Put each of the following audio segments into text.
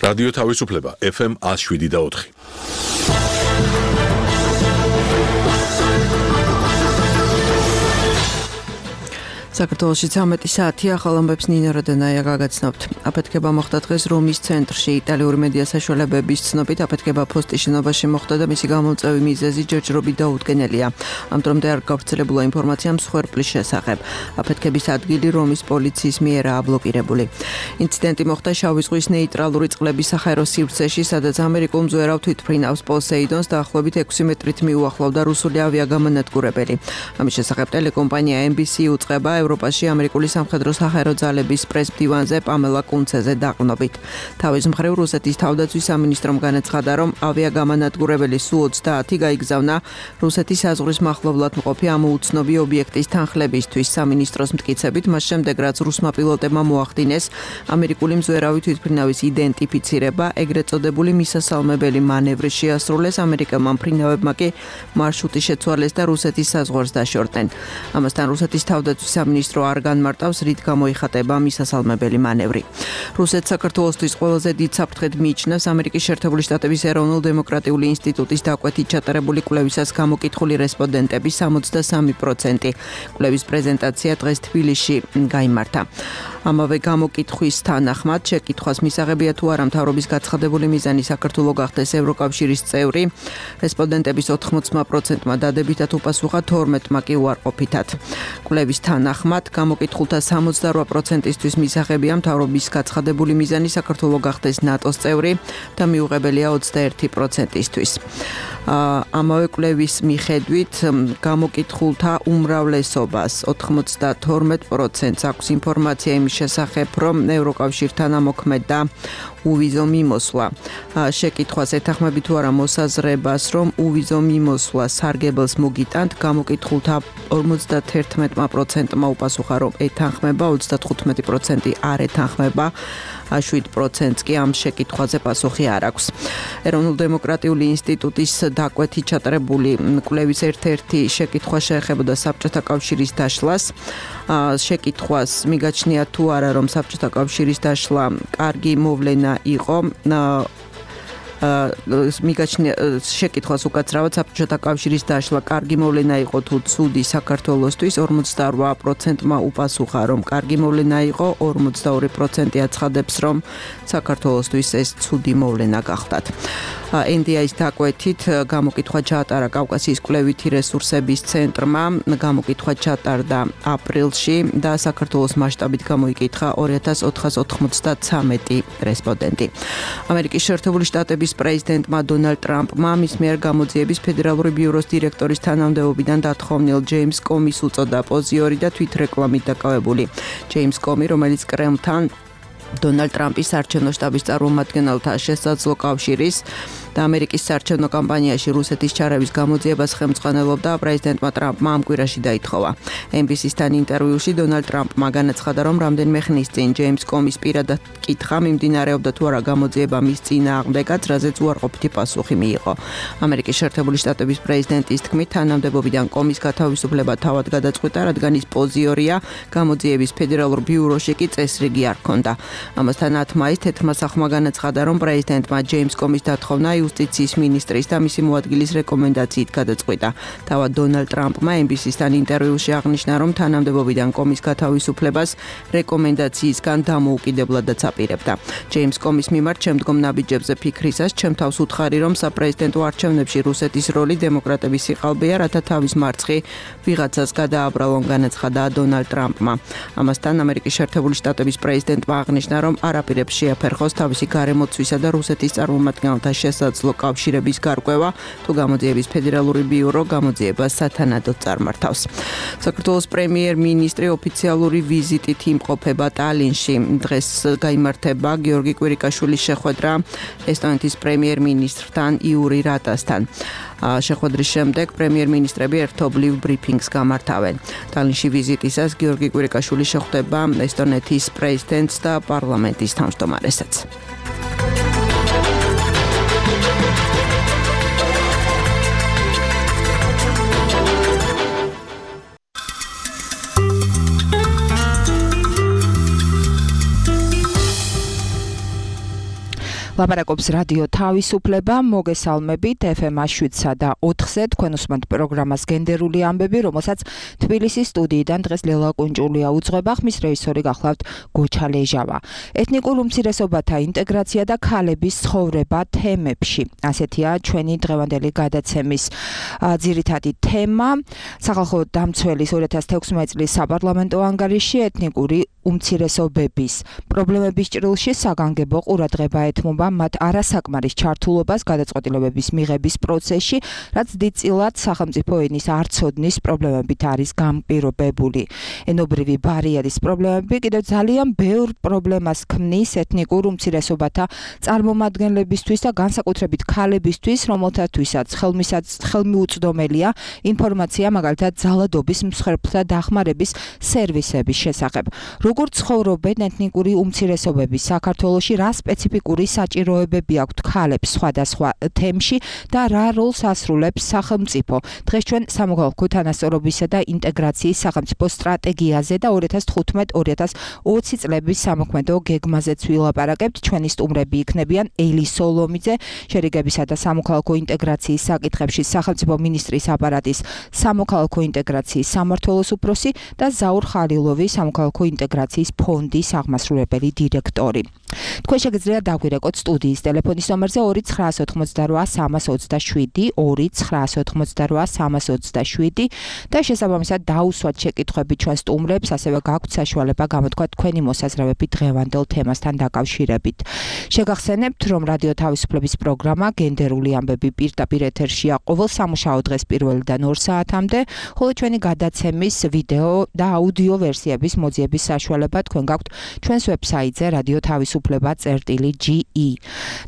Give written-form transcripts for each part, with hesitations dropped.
რადიო თავისუფლება FM 107.4. საქართველოში 13 საათია, ახალ ამბებს ნინო როდენაია გაგაცნობთ. აფეთქება მოხდა დღეს რომის ცენტრში. იტალიური მედია საშუალებების ცნობით აფეთქება ფოსტის შენობაში მოხდა და მისი გამომწვევი მიზეზი ჯერჯერობით დაუდგენელია. ამ დრომდე არ გავრცელებულა ინფორმაცია მსხვერპლის შესახებ. აფეთქების ადგილი რომის პოლიციის მიერაა ბლოკირებული. ინციდენტი მოხდა შავი ზღვის ნეიტრალური წყლების საჰაერო სივრცეში, სადაც ამერიკულ მძვერავ თვითმფრინავს პოსეიდონს დაახლოებით 6 მეტრით მიუახლოვდა რუსული ავიაგამონადგურებელი. ამის შესახებ ტელეკომპანია NBC უწყება ევროპაში ამერიკული სამხედრო საჰაერო ძალების პრეს-მდივანზე პამელა კუნცეზე დაყრდნობით. თავის მხრივ რუსეთის თავდაცვის სამინისტრომ განაცხადა, რომ ავიაგამონადგურებელი Su-30 გაიგზავნა რუსეთის საზღვრის მახლობლად მყოფი ამ უცნობი ობიექტის თანხლებისთვის. სამინისტროს მტკიცებით, მას შემდეგ რაც რუსმა პილოტებმა მოახდინეს ამერიკული მძვერავი თვითმფრინავის იდენტიფიცირება, ეგრეთ წოდებული მისასალმებელი მანევრი შეასრულეს, ამერიკელმა მფრინავებმა კი მარშრუტი შეცვალეს და რუსეთის საზღვარს დაშორდნენ. ამასთან რუსეთის თავდაცვის სამინისტრო არ განმარტავს, რით გამოიხატება მისასალმებელი მანევრი. რუსეთს საქართველოსთვის ყველაზე დიდ საფრთხედ მიიჩნევს ამერიკის შეერთებული შტატების ეროვნულ-დემოკრატიული ინსტიტუტის დაკვეთით ჩატარებული კვლევისას გამოკითხული რესპონდენტების 63%. კვლევის პრეზენტაცია დღეს თბილისში გაიმართა. ამავე გამოკითხვის თანახმად შეკითხვას მისაღებია თუ არა მთავრობის გაცხადებული მიზანი საქართველოს გახდეს ევროკავშირის წევრი. რესპონდენტების 80%-მა დადებითად უპასუხა, 12%-მა კი უარყოფითად. კვლევის თანახმად გამოკითხულთა 68%-ისთვის მისაღებია მთავრობის გაცხადებული მიზანი საქართველოს გახდეს ნატოს წევრი და მიუღებელია 21%-ისთვის. ამავე კვლევის მიხედვით გამოკითხულთა უმრავლესობას 92%-ს აქვს ინფორმაცია იმის შესახებ, რომ ევროკავშირთან ამოქმედდა უვიზო მიმოსვლა. შეკითხვას ეთანხმები თუ არა მოსაზრებას, რომ უვიზო მიმოსვლა სარგებელს მოგიტანთ, გამოკითხულთა 51%-მა უპასუხა, რომ ეთანხმება, 35% არ ეთანხმება, 7%-ს კი ამ შეკითხვაზე პასუხი არ აქვს. ეროვნულ-დემოკრატიული ინსტიტუტის დაკვეთით ჩატარებული კვლევის ერთ-ერთი შეკითხვა შეეხებოდა საბჭოთა კავშირის დაშლას. შეკითხვას მიგაჩნია თუ არა, რომ საბჭოთა კავშირის დაშლა კარგი მოვლენა იყო. შეკითხვას უკაცრავად საბჭოთა კავშირის დაშლა კარგი მოვლენა იყო თუ ცუდი საქართველოსთვის, 48%-მა უპასუხა, რომ კარგი მოვლენა იყო, 42% აცხადებს, რომ საქართველოსთვის ეს ცუდი მოვლენა გახდათ. NDI-ის დაკვეთით გამოკითხვა ჩაატარა კავკასიის კვლევითი რესურსების ცენტრმა, გამოკითხვა ჩატარდა აპრილში და საქართველოს მასშტაბით გამოიკითხა 2493 რესპონდენტი. ამერიკის შეერთებული შტატების პრეზიდენტმა დონალდ ტრამპმა მის მიერ გამოძიების ფედერალური ბიუროს დირექტორის თანამდებობიდან დათხოვნილ ჯეიმს კომის უწოდა პოზიორი და თვითრეკლამით დაკავებული. ჯეიმს კომი, რომელიც კრემლთან დონალდ ტრამპის საარჩევნო შტაბის წარმომადგენელთა შესაძლო კავშირის და ამერიკის საარჩევნო კამპანიაში რუსეთის ჩარევის გამოძიებას ხელმძღვანელობდა, პრეზიდენტმა ტრამპმა ამ კვირაში დაითხოვა. NBC-სთან ინტერვიუში დონალდ ტრამპმა განაცხადა, რომ რამდენიმე ხნის წინ ჯეიმს კომის პირადად კითხვა მიმდინარეობდა თუ არა გამოძიება მის წინააღმდეგაც, რაზეც უარყოფითი პასუხი მიიღო. ამერიკის შეერთებული შტატების პრეზიდენტის თქმით, თანამდებობიდან კომის გათავისუფლება თავად გადაწყვიტა, რადგან ის პოზიორია, გამოძიების ფედერალურ ბიუროში კი წესრიგი არ ჰქონდა. ამასთან 10 მაისს თეთრმა სახლმა განაცხადა, რომ პრეზიდენტმა ჯეიმს კომის დათხოვნა იუსტიციის მინისტრის და მისი მოადგილის რეკომენდაციით გადაწყვიტა. თავად დონალდ ტრამპმა NBC-სთან ინტერვიუში აღნიშნა, რომ თანამდებობიდან კომის გათავისუფლებას რეკომენდაციისგან დამოუკიდებლადაც აპირებდა. ჯეიმს კომის მიმართ შემდგომ ნაბიჯებზე ფიქრისას ჩემ თავს უთხარი, რომ საპრეზიდენტო არჩევნებში რუსეთის როლი დემოკრატების სიყალბეა, რათა თავის მარცხი ვიღაცას გადააბრალონ, განაცხადა დონალდ ტრამპმა. ამასთან ამერიკის შეერთებული შტატების პრეზიდენტმა აღნიშნა, რომ არ აპირებს შეაფერხოს თავისი გარემოცვისა და რუსეთის წარმომადგენელთა შესაძლო კავშირების გარკვევა, თუ გამოძიების ფედერალური ბიურო გამოძიებას სათანადოდ წარმართავს. საქართველოს პრემიერ-მინისტრი ოფიციალური ვიზიტით იმყოფება ტალინში. დღეს გაიმართება გიორგი კვირიკაშვილის შეხვედრა ესტონეთის პრემიერ-მინისტრთან იური რატასთან. შეხვედრის შემდეგ პრემიერ-მინისტრები ერთობლივ ბრიფინგს გამართავენ. ტალინში ვიზიტისას გიორგი კვირიკაშვილი შეხვდება ესტონეთის პრეზიდენტს და პარლამენტის თავმჯდომარესაც. ლაპარაკობს რადიო თავისუფლება, მოგესალმებით FM 7-სა და 4-ზე თქვენ უსმენთ პროგრამას გენდერული ამბები, რომელსაც თბილისის სტუდიიდან დღეს ლელა კუნჭულია უძღვება, ხმის რეჟისორი გახლავთ გოჩა ლეჟავა. ეთნიკურ უმცირესობათა ინტეგრაცია და ქალების ცხოვრება თემებში. ასეთია ჩვენი დღევანდელი გადაცემის ძირითადი თემა. სახალხო დამცველის 2016 წლის საპარლამენტო ანგარიში ეთნიკური უმცირესობების პრობლემების ჭრილში საგანგებო ყურადღება ეთმობა მათ არასაკმარის ჩართულობას გადაწყვეტილებების მიღების პროცესში, რაც დიდწილად სახელმწიფო ენის არცოდნის პრობლემებით არის განპირობებული. ენობრივი ბარიერის პრობლემები კიდევ ძალიან ბევრ პრობლემას ქმნის ეთნიკურ უმცირესობათა წარმომადგენლებისთვის და განსაკუთრებით ქალებისთვის, რომელთათვისაც ხელმიუწვდომელია ინფორმაცია მაგალითად ძალადობის მსხვერპლთა დახმარების სერვისების შესახებ. Როგორ ცხოვრობენ ეთნიკური უმცირესობები საქართველოში, რა სპეციფიკური საჭიროებები აქვთ ქალებს სხვადასხვა თემში და რა როლს ასრულებს სახელმწიფო. დღეს ჩვენ სამოქალაქო თანასწორობისა და ინტეგრაციის სახელმწიფო სტრატეგიაზე და 2015-2020 წლების სამოქმედო გეგმაზეც ვილაპარაკებთ. ჩვენი სტუმრები იქნებიან ელი სოლომიძე, შერიგებისა და სამოქალაქო ინტეგრაციის საკითხებში სახელმწიფო მინისტრის აპარატის სამოქალაქო ინტეგრაციის სამმართველოს უფროსი და ზაურ ხალილოვი, სამოქალაქო ინტეგრაციის ფონდის აღმასრულებელი დირექტორი. თქვენ შეგიძლიათ დაგვირეკოთ სტუდიის ტელეფონის ნომერზე 2998327 2998327 და შესაბამისად დაუსვათ შეკითხვები ჩვენ სტუმრებს, ასევე გაქვთ საშუალება გამოთქვათ თქვენი მოსაზრებები დღევანდელ თემასთან დაკავშირებით. შეგახსენებთ, რომ რადიო თავისუფლების პროგრამა გენდერული ამბები პირდაპირ ეთერშია ყოველ სამუშაო დღეს 1-დან 2 საათამდე, ხოლო ჩვენი გადაცემის ვიდეო და აუდიო ვერსიების მოძიების საშუალება თქვენ გაქვთ ჩვენს ვებსაიტზე radiotavisupleba.ge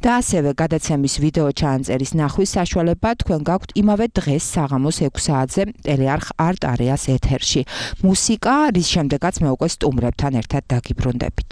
და ასევე გადაცემის ვიდეო ჩაანწერის ნახვის საშუალება თქვენ გაქვთ იმავე დღეს საღამოს 6 საათზე ტელეარხ არტ არეას ეთერში. მუსიკა, რის შემდეგაც მე უკვე სტუმრებთან ერთად დაგიბრუნდებით.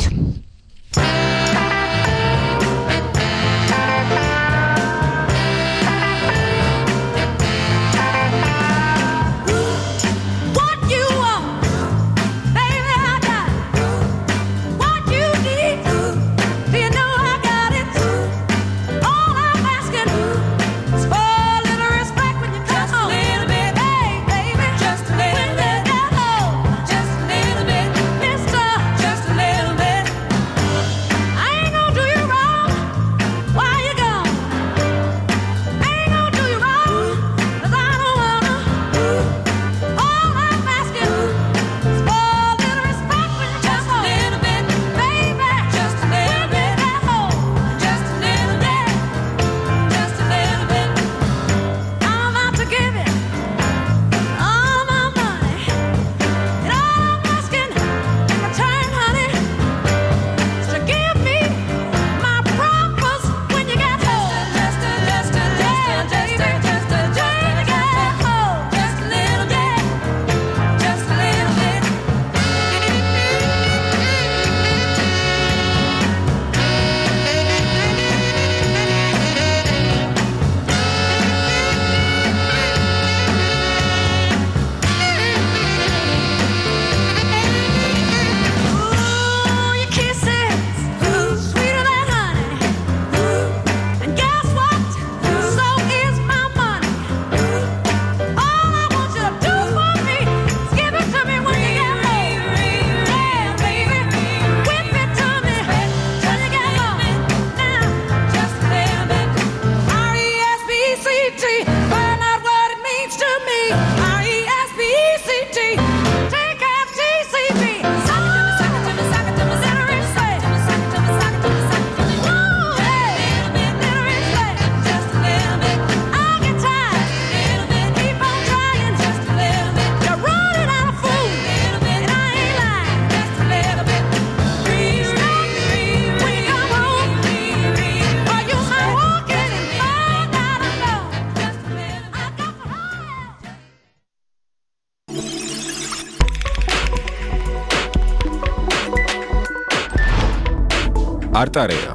არტარეა.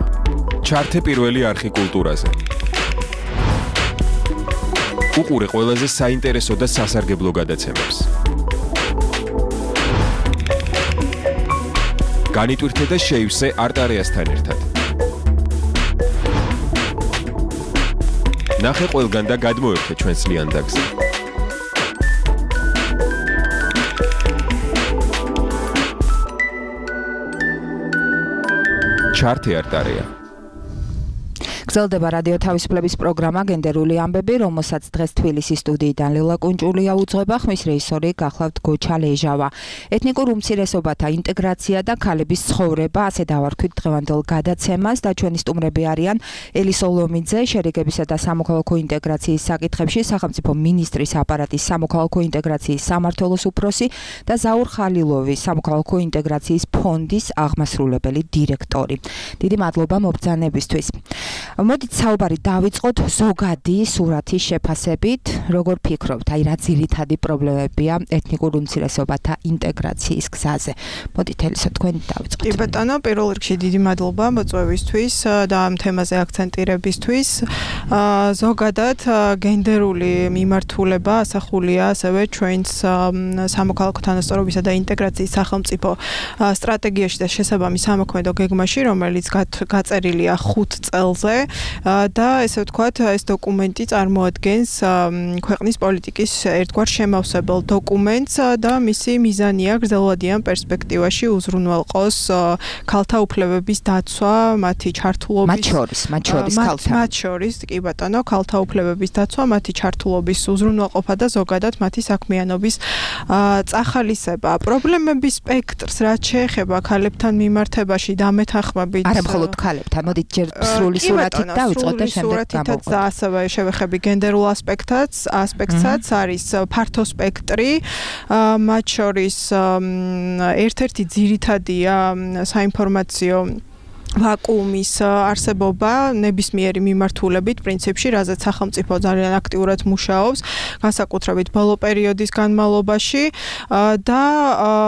ჩართე პირველი არprostი კულტურაზე. უყურე ყველაზე საინტერესო და სასარგებლო გადაცემებს. განიტვირთე და შეივსე არტარეასთან ერთად. ნახე ყველგან და გადმოერთე ჩვენს ლიანდაგზე. ჩარტი არტარია. გრძელდება რადიო თავისუფლების პროგრამა გენდერული ამბები, რომელსაც დღეს თბილისის სტუდიიდან ლილა კუნჭულია უძღვება, ხმის რეჟისორი გახლავთ გოჩა ლეჟავა. ეთნიკურ უმცირესობათა ინტეგრაცია და ქალების ცხოვრება, ასე დავარქვით დღევანდელ გადაცემას და ჩვენი სტუმრები არიან ელისო ლომიძე, შერიგებისა და სამოქალაქო ინტეგრაციის საკითხებში სახელმწიფო მინისტრის აპარატის სამოქალაქო ინტეგრაციის სამმართველოს უფროსი და ზაურ ხალილოვი, სამოქალაქო ინტეგრაციის ფონდის აღმასრულებელი დირექტორი. დიდი მადლობა მობრძანებისთვის. მოდით საუბარი დავიწყოთ ზოგადი სურათის შეფასებით, როგორ ფიქრობთ, აი რა ძირითადი პრობლემებია ეთნიკურ უმცირესობათა ინტეგრაციის გზაზე. მოდით ელისო თქვენ დავიწყოთ. კი ბატონო, პირველ რიგში დიდი მადლობა მოწვევისთვის და ამ თემაზე აქცენტირებისთვის. ზოგადად გენდერული მიმართულება ასახულია ასევე ჩვენს სამოქალაქო თანასწორობისა და ინტეგრაციის სახელმწიფო სტრატეგიაში და შესაბამის სამოქმედო გეგმაში, რომელიც გაწერილია 5 წელზე. და ესე ვთქვათ, ეს დოკუმენტი წარმოადგენს ქვეყნის პოლიტიკის ერთგვარ შემავსებელ დოკუმენტს და მისი მიზანია გრძელვადიან პერსპექტივაში უზრუნველყოს ქალთა უფლებების დაცვა, მათი ჩართულობის მათ შორის, კი ბატონო, ქალთა უფლებების დაცვა, მათი ჩართულობის უზრუნველყოფა და ზოგადად მათი საქმიანობის წახალისება. პრობლემების სპექტრს რაც შეეხება ქალებთან მიმართებაში დამეთანხმებით არა მხოლოდ ქალებთან, მოდით ჯერ სრული სურათით დავიწყოთ და შემდეგ გამოვყოთ. და ასევე შევეხები გენდერულ ასპექტსაც არის ფართო სპექტრი, მათ შორის ერთ-ერთი ძირითადია საინფორმაციო ვაკუუმის არსებობა ნებისმიერი მიმართულებით პრინციპში, რაზეც სახელმწიფო ძალიან აქტიურად მუშაობს, განსაკუთრებით ბოლო პერიოდის განმავლობაში და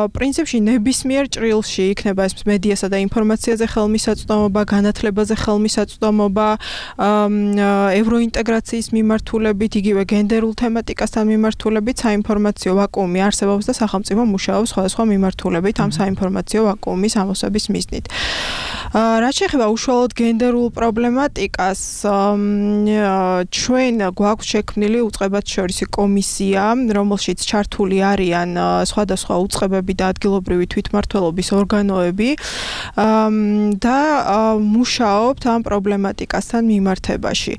პრინციპში ნებისმიერ ჭრილში იქნება ეს მედიასა და ინფორმაციაზე ხელმისაწვდომობა, განათლებაზე ხელმისაწვდომობა, ევროინტეგრაციის მიმართულებით, იგივე გენდერულ თემატიკასთან მიმართულებით საინფორმაციო ვაკუუმი არსებობს და სახელმწიფო მუშაობს სხვადასხვა მიმართულებით ამ საინფორმაციო ვაკუუმის ამოსების მიზნით. რაც შეეხება უშუალოდ გენდერულ პრობლემატიკას, ჩვენ გვაქვს შექმნილი უწყებათშორისი კომისია, რომელშიც ჩართული არიან სხვადასხვა უწყებები და ადგილობრივი თვითმმართველობის ორგანოები და მუშაობთ ამ პრობლემატიკასთან მიმართებაში.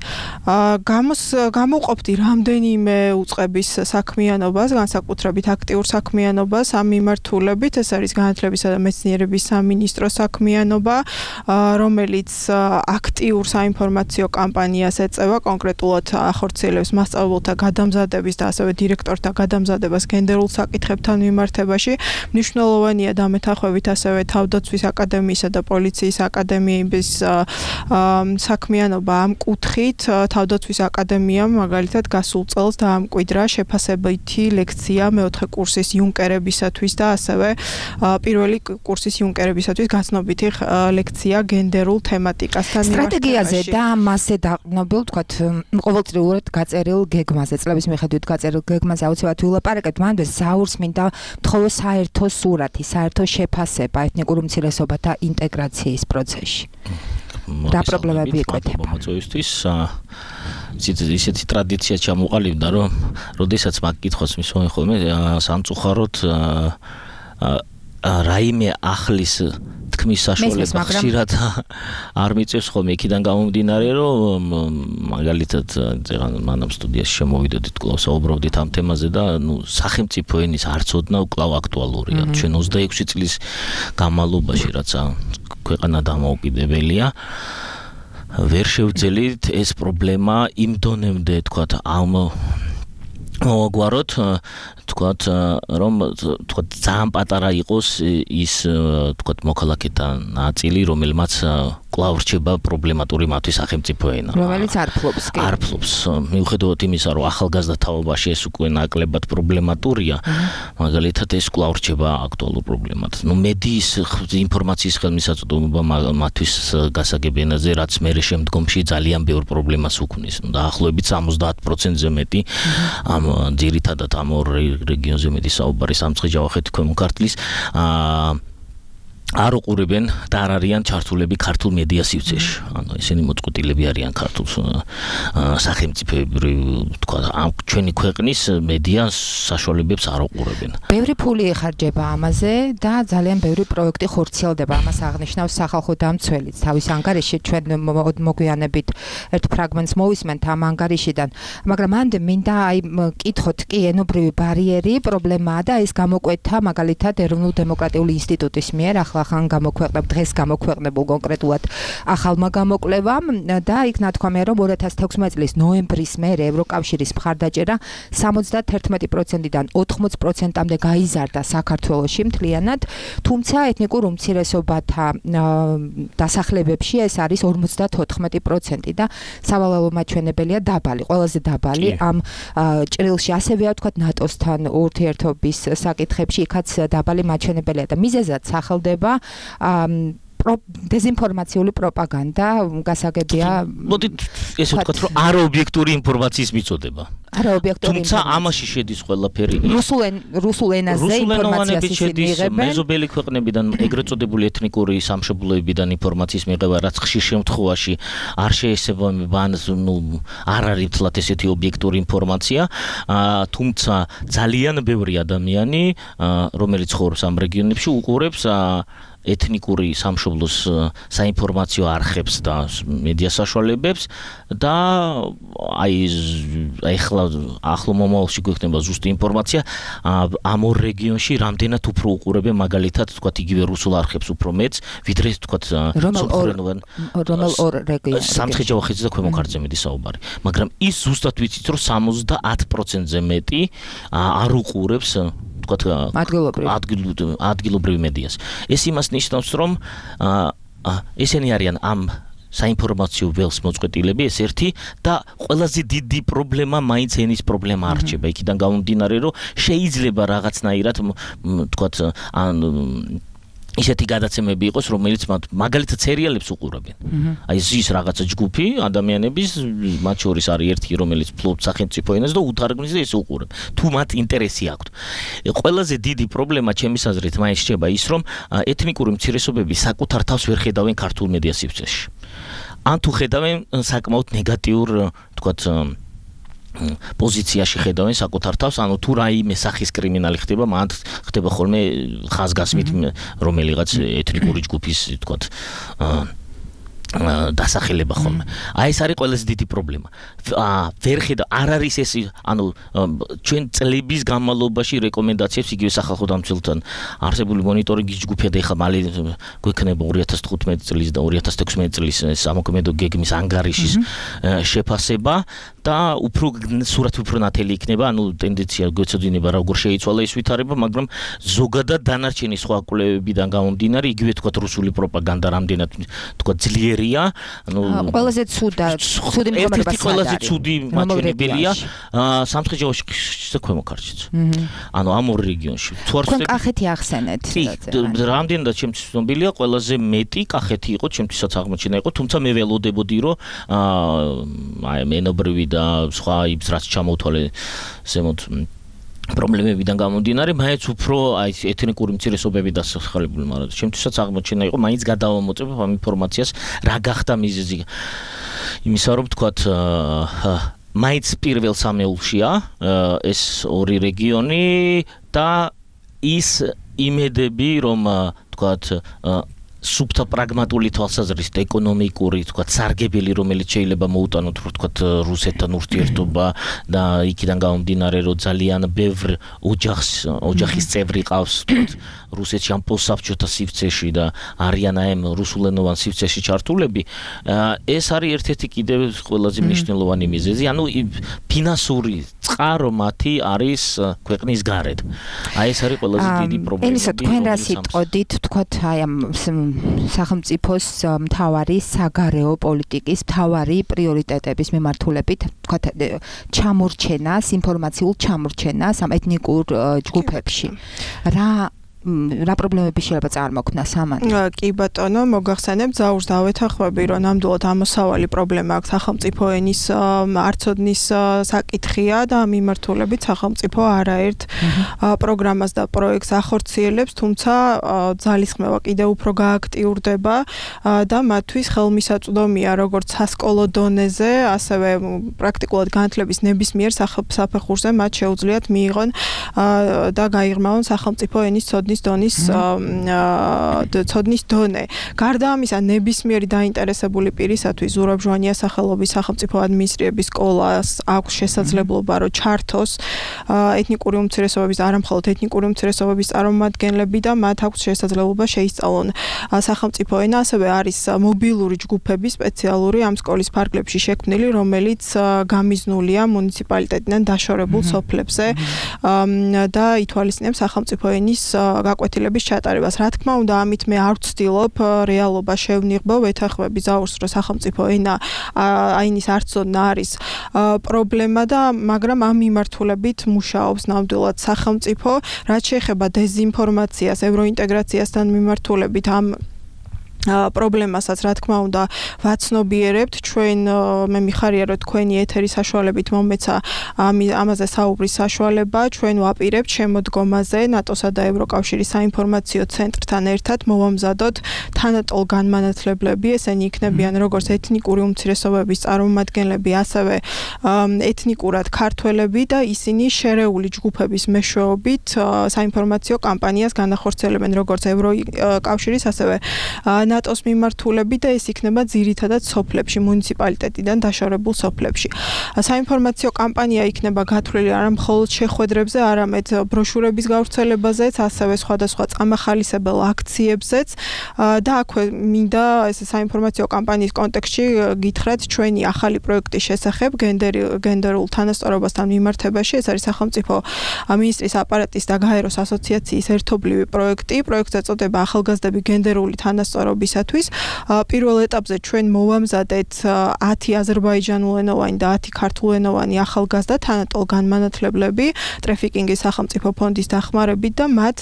გამოვყოფდი რამდენიმე უწყების საქმიანობას, განსაკუთრებით აქტიურ საქმიანობას ამ მიმართულებით, ეს არის განათლებისა და მეცნიერების სამინისტროს საქმიანობა, რომელიც აქტიურ საინფორმაციო კამპანიას ეწევა, კონკრეტულად ახორციელებს მასწავლებელთა გადამზადების და ასევე დირექტორთა გადამზადებას გენდერულ საკითხებთან მიმართებაში. მნიშვნელოვანია დამეთანხმებით ასევე თავდაცვის აკადემიისა და პოლიციის აკადემიების საქმიანობა ამ კუთხით. თავდაცვის აკადემიამ მაგალითად გასულ წელს დაამკვიდრა შეფასებითი ლექცია მეოთხე კურსის იუნკერებისათვის და ასევე პირველი კურსის იუნკერებისათვის გაცნობითი ლექცია გენდერულ თემატიკასთან სტრატეგიაზე და მასზე დაყრდნობილ, თქვათ, ყოველწლიურად გაწერილ გეგმაზე, წლების მიხედვით გაწერილ გეგმაზე აუცილებლად ვილაპარაკებთ, მანამდე ზაურს მინდა თხოვო საერთო სურათი, საერთო შეფასება ეთნიკურ უმცირესობათა ინტეგრაციის პროცესში. რა პრობლემები იკვეთება? მოწვევისთვის ისეთი ტრადიცია ჩამოყალიბდა, რომ როდესაც მაგ კითხვას მისვენ ხოლმე სამწუხაროდ რაიმე ახლის თქმის საშუალება ხშირად არ მიწევს ხოლმე, იქიდან გამომდინარე, რომ მაგალითად მანამ სტუდიაში შემოვიდოდით, კვლავ საუბრობდით ამ თემაზე და სახელმწიფო ენის არცოდნა კვლავ აქტუალურია. ჩვენ 26 წლის განმავლობაში, რაც ქვეყანა დამოუკიდებელია, ვერ შევძელით ეს პრობლემა იმ დონემდე, თქვათ, მოვაგვაროთ, თქვათ, რომ თქვათ ძალიან პატარა იყოს ის, თქვათ, მოქალაქეთა ნაწილი, რომელმაც კვლავ რჩება პრობლემატური მათთვის სახელმწიფო ენა. რომელიც არ ფლობს. არ ფლობს. მიუხედავად იმისა, რომ ახალგაზრდა თაობაში ეს უკვე ნაკლებად პრობლემატურია, მაგალითად ეს კვლავ რჩება აქტუალურ პრობლემად. მედიის ინფორმაციის ხელმისაწვდომობა მათთვის გასაგებ ენაზე, რაც მერე შემდგომში ძალიან ბევრ პრობლემას უქმნის. დაახლოებით 70%-ზე მეტი ამ ძირითადად ამ ორ რეგიონზე მეტი საუბარი სამცხე-ჯავახეთი, ქვემო ქართლის არ უყურებენ და არ არიან ჩართულები ქართულ მედია სივრცეში. ანუ ესენი მოწყვეტილები არიან ქართულ სახელმწიფოებრივ თქვა ამ ჩვენი ქვეყნის მედია საშუალებებს არ უყურებენ. ბევრი ფული ეხარჯება ამაზე და ძალიან ბევრი პროექტი ხორციელდება. ამას აღნიშნავს სახალხო დამცველიც. თავის ანგარიში ჩვენ მოგვიანებით ერთ ფრაგმენტს მოვისმენთ ამ ანგარიშიდან. მაგრამ მანდ მინდა კითხოთ კი ენობრივი ბარიერი პრობლემაა და ეს გამოკვეთა მაგალითად ეროვნულ დემოკრატიული ინსტიტუტის მიერ ახალ გამოქვეყნებ დღეს გამოქვეყნებულ კონკრეტულად ახალმა გამოკვლევამ და იქ ნათქვამია რომ 2016 წლის ნოემბრის მერე ევროკავშირის მხარდაჭერა 71%-დან 80%-მდე გაიზარდა საქართველოში მთლიანად, თუმცა ეთნიკურ უმცირესობათა დასახლებებში ეს არის 54% და სავალალო მაჩვენებელია დაბალი, ყველაზე დაბალი ამ ჭრილში ასევე ვთქვათ ნატოსთან ურთიერთობის საკითხებში იქაც დაბალი მაჩვენებელია და მიზეზად სახელდება დეზინფორმაციული პროპაგანდა გასაგებია. მოდით ესე ვთქვათ, რომ არაობიექტური ინფორმაციის მიწოდება. არაობიექტური. თუმცა ამაში შედის ყველაფერი. რუსულ ენაზე ინფორმაციას შედის მეზობელი ქვეყნებიდან, ეგრეთ წოდებული ეთნიკური სამშობლოებიდან ინფორმაციის მიღება, რაც ხშირ შემთხვევაში არ შეესაბამება ან არ არის თლათ ესეთი ობიექტური ინფორმაცია, თუმცა ძალიან ბევრი ადამიანი, რომელიც ცხოვრობს ამ რეგიონებში, უყურებს ეთნიკური სამშობლოს საინფორმაციო არხებს და მედია საშუალებებს და ახლო მომავალში გვექნება ზუსტი ინფორმაცია ამ ორ რეგიონში რამდენად უფრო უყურებენ მაგალითად თქვათ იგივე რუსულ არხებს უფრო მეც ვიდრე თქვათ რომელ ორ რეგიონში სამცხე-ჯავახეთზე და ქვემო ქართლზე საუბარი მაგრამ ის ზუსტად ვიცით რომ 70%-ზე მეტი არ უყურებს ადგილობრივ მედიას. ეს იმას ნიშნავს, რომ ესენი არიან ამ საინფორმაციო ველს მოწყვეტილები, ეს ერთი და ყველაზე დიდი პრობლემა მაინც ენის პრობლემა არჩება. იქიდან გამომდინარე, რომ შეიძლება რაღაცნაირად თქვათ ისეთი გადაცემები იყოს, რომელიც მაგალითად სერიალებს უყურებენ. აი ზის რაღაცა ჯგუფი ადამიანების, მათ შორის არის ერთი, რომელიც ფლობს სახელმწიფო ენას და უთარგმნის და ეს უყურებ. თუ მათ ინტერესი აქვთ. ყველაზე დიდი პრობლემა ჩემის აზრით მაინც რჩება ის, რომ ეთნიკური უმცირესობები საკუთარ თავს ვერ ხედავენ ქართულ მედია სივრცეში. ან თუ ხედავენ საკმაოდ ნეგატიურ, თქვათ პოზიციაში ხედავენ საკუთარ თავს, ანუ თუ რაიმე სახის კრიმინალი ხდება, მან ხდება ხოლმე ხაზგასმით რომელიღაც ეთნიკური ჯგუფის, თქვათ, დასახელება ხოლმე. აი ეს არის ყველაზე დიდი პრობლემა. ვერ ხედავ, არ არის ეს, ანუ ჩვენ წლების განმავლობაში რეკომენდაციებს იგივე სახალხო დამცველთან არსებული მონიტორინგის ჯგუფია და ეხლა მალე გვექნება 2015 წლის და 2016 წლის სამოქმედო გეგმის ანგარიშის შეფასება და უფრო სურათი უფრო ნათელი იქნება, ანუ ტენდენცია გვეცოდინება როგორ შეიცვალა ეს ვითარება, მაგრამ ზოგადად დანარჩენი სხვა კვლევებიდან გამომდინარე, იგივე თქვათ რუსული პროპაგანდა რამდენად თქვათ ძლიერია, ანუ ყველაზე ცუდი მდგომარეობა ყველაზე ცუდი მაჩვენებელია სამცხე-ჯავახეთში და ქვემო ქართლშიც. ანუ ამ ორ რეგიონში. თუ არ ვცდები კახეთი ახსენეთ. რამდენადაც ჩემთვის ცნობილია, ყველაზე მეტი კახეთი იყო, ჩემთვისაც აღმოჩენა იყო, თუმცა მე ველოდებოდი, რომ აი მენობრივი და სხვა იბს რაც ჩამოვთვალე ზემოთ პრობლემებიდან გამომდინარე, მაინც უფრო აი ეთნიკური უმცირესობები დასახელებული, მაგრამ ჩემთვისაც აღმოჩენა იყო, მაინც გადავამოწებ ამ ინფორმაციას, რა გახდა მიზეზი იმისა, რომ თქვათ მაინც პირველ სამეულშია ეს ორი რეგიონი და ის იმედები, რომ თქვათ სუბთა პრაგმატული თვალსაზრისით ეკონომიკური, თქვათ, სარგებელი, რომელიც შეიძლება მოუტანოთ, თქვათ, რუსეთთან ურთიერთობა და იქიდან გამომდინარე, რომ ძალიან ბევრ ოჯახის წევრი ყავს, თქვათ, რუსეთში ამ პოსტსაბჭოთა სივრცეში და არიან აი რუსულენოვან სივრცეში ჩართულები, ეს არის ერთ-ერთი კიდევ ყველაზე მნიშვნელოვანი მიზეზი, ანუ ფინანსური წყარო მათი არის ქვეყნის გარეთ. აი ეს არის ყველაზე დიდი პრობლემა. ენისა თქვენ რა სიტყვით, თქვათ, აი ამ სახელმწიფოს მთავარი საგარეო პოლიტიკის მთავარი პრიორიტეტების მიმართულებით, თქვათ, ჩამორჩენას, ინფორმაციულ ჩამორჩენას ამ ეთნიკურ ჯგუფებში. რა პრობლემები შეიძლება წარმოქმნას ამან? კი ბატონო, მოგახსენებთ, ზაურს დავეთანხმები, რომ ნამდვილად ამოსავალი პრობლემა აქვს სახელმწიფო ენის არცოდნის საკითხია და ამ მიმართულებით სახელმწიფო არაერთ პროგრამას და პროექტს ახორციელებს, თუმცა ძალისხმევა კიდევ უფრო გააქტიურდება და მათთვის ხელმისაწვდომია როგორც სასკოლო დონეზე, ასევე პრაქტიკულად განათლების ნებისმიერ საფეხურზე მათ შეუძლიათ მიიღონ და გაიღრმავონ სახელმწიფო ენის ცოდნის დონე. გარდა ამისა, ნებისმიერი დაინტერესებული პირისათვის ზურაბ-ჟვანია სახელობის სახელმწიფო ადმინისტრირების სკოლას აქვს შესაძლებლობა, რომ ჩართოს ეთნიკური უმცირესობების, არა მხოლოდ ეთნიკური უმცირესობების წარმომადგენლები და მათ აქვს შესაძლებლობა შეისწავლონ სახელმწიფო ენა, ასევე არის მობილური ჯგუფები სპეციალური ამ სკოლის ფარგლებში შექმნილი, რომელიც გამიზნულია მუნიციპალიტეტიდან დაშორებულ სოფლებზე და ითვალისწინებს სახელმწიფო ენის გაკვეთილების ჩატარებას. Რა თქმა უნდა, ამით მე არ ვცდილობ რეალობა შევნიღბო, ვეთანხმები ზაურს, რომ სახელმწიფო ენა აინის არცოდნა არის პრობლემა და მაგრამ ამ მიმართულებით მუშაობს ნამდვილად სახელმწიფო, რაც შეეხება დეზინფორმაციას, ევროინტეგრაციასთან მიმართულებით ამ პრობლემასაც რა თქმა უნდა ვაცნობიერებთ ჩვენ მე მიხარია რომ თქვენი ეთერის საშუალებით მომეცა ამაზე საუბრის საშუალება ჩვენ ვაპირებთ შემოდგომაზე ნატოსა და ევროკავშირის საინფორმაციო ცენტრთან ერთად მოვამზადოთ თანატოლ განმანათლებლები ესენი იქნებიან როგორც ეთნიკური უმცირესობების წარმომადგენლები ასევე ეთნიკურად ქართველები და ისინი შერეული ჯგუფების მეშვეობით საინფორმაციო კამპანიას განახორციელებენ როგორც ევროკავშირის ასევე ნატოს მიმართულებით და ეს იქნება ძირითადად სოფლებში, მუნიციპალიტეტიდან დაშორებულ სოფლებში. საინფორმაციო კამპანია იქნება გათვლილი არა მხოლოდ შეხვედრებზე, არამედ ბროშურების გავრცელებაზეც, ასევე სხვადასხვა წამახალისებელ აქციებზეც და აქვე მინდა ეს საინფორმაციო კამპანიის კონტექსტში გითხრათ ჩვენი ახალი პროექტის შესახებ გენდერულ თანასწორობასთან მიმართებაში. ეს არის სახელმწიფო მინისტრის აპარატის და გაეროს ასოციაციის ერთობლივი პროექტი. პროექტს ეწოდება ახალგაზრდები გენდერული თანასწორობისათვის. პირველ ეტაპზე ჩვენ მოვამზადეთ 10 აზერბაიჯანულენოვანი და 10 ქართულენოვანი ახალგაზრდა თანატოლ განმანათლებლები ტრაფიკინგის სახელმწიფო ფონდის დახმარებით და მათ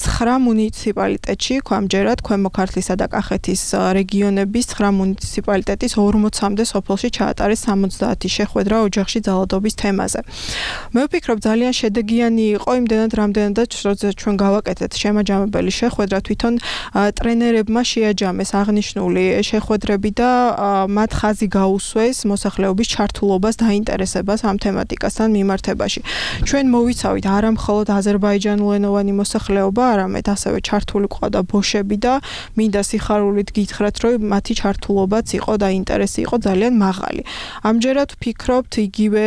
9 მუნიციპალიტეტში, ამჯერად ქვემო ქართლისა და კახეთის რეგიონების 9 მუნიციპალიტეტის 40-მდე სოფელში ჩაატარეს 70 შეხვედრა ოჯახში ძალადობის თემაზე. მე ვფიქრობ ძალიან შედეგიანი იყო იმდენად რამდენადაც ჩვენ გავაკეთეთ შემაჯამებელი შეხვედრა თვითონ ტრენერებმა შეაჯამეს აღნიშნული შეხვედრები და მათ ხაზი გაუსვეს მოსახლეობის ჩართულობას დაინტერესებას ამ თემატიკასთან მიმართებაში. ჩვენ მოვიცავით არა მხოლოდ აზერბაიჯანულენოვანი მოსახლეობა, არამედ ასევე ჩართული ყავდა ბოშები და მინდა სიხარულით გითხრათ, რომ მათი ჩართულობაც იყო და ინტერესი იყო ძალიან მაღალი. ამჯერად ვფიქრობთ იგივე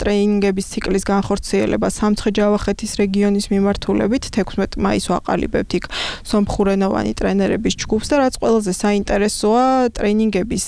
ტრეინინგების ციკლის განხორციელება სამცხე-ჯავახეთის რეგიონის მიმართულებით 16 მაისს ვაყალიბებთ იქ სომხურენოვანი ტრენერების ჯგუფს და რაც ყველაზე საინტერესოა ტრეინინგების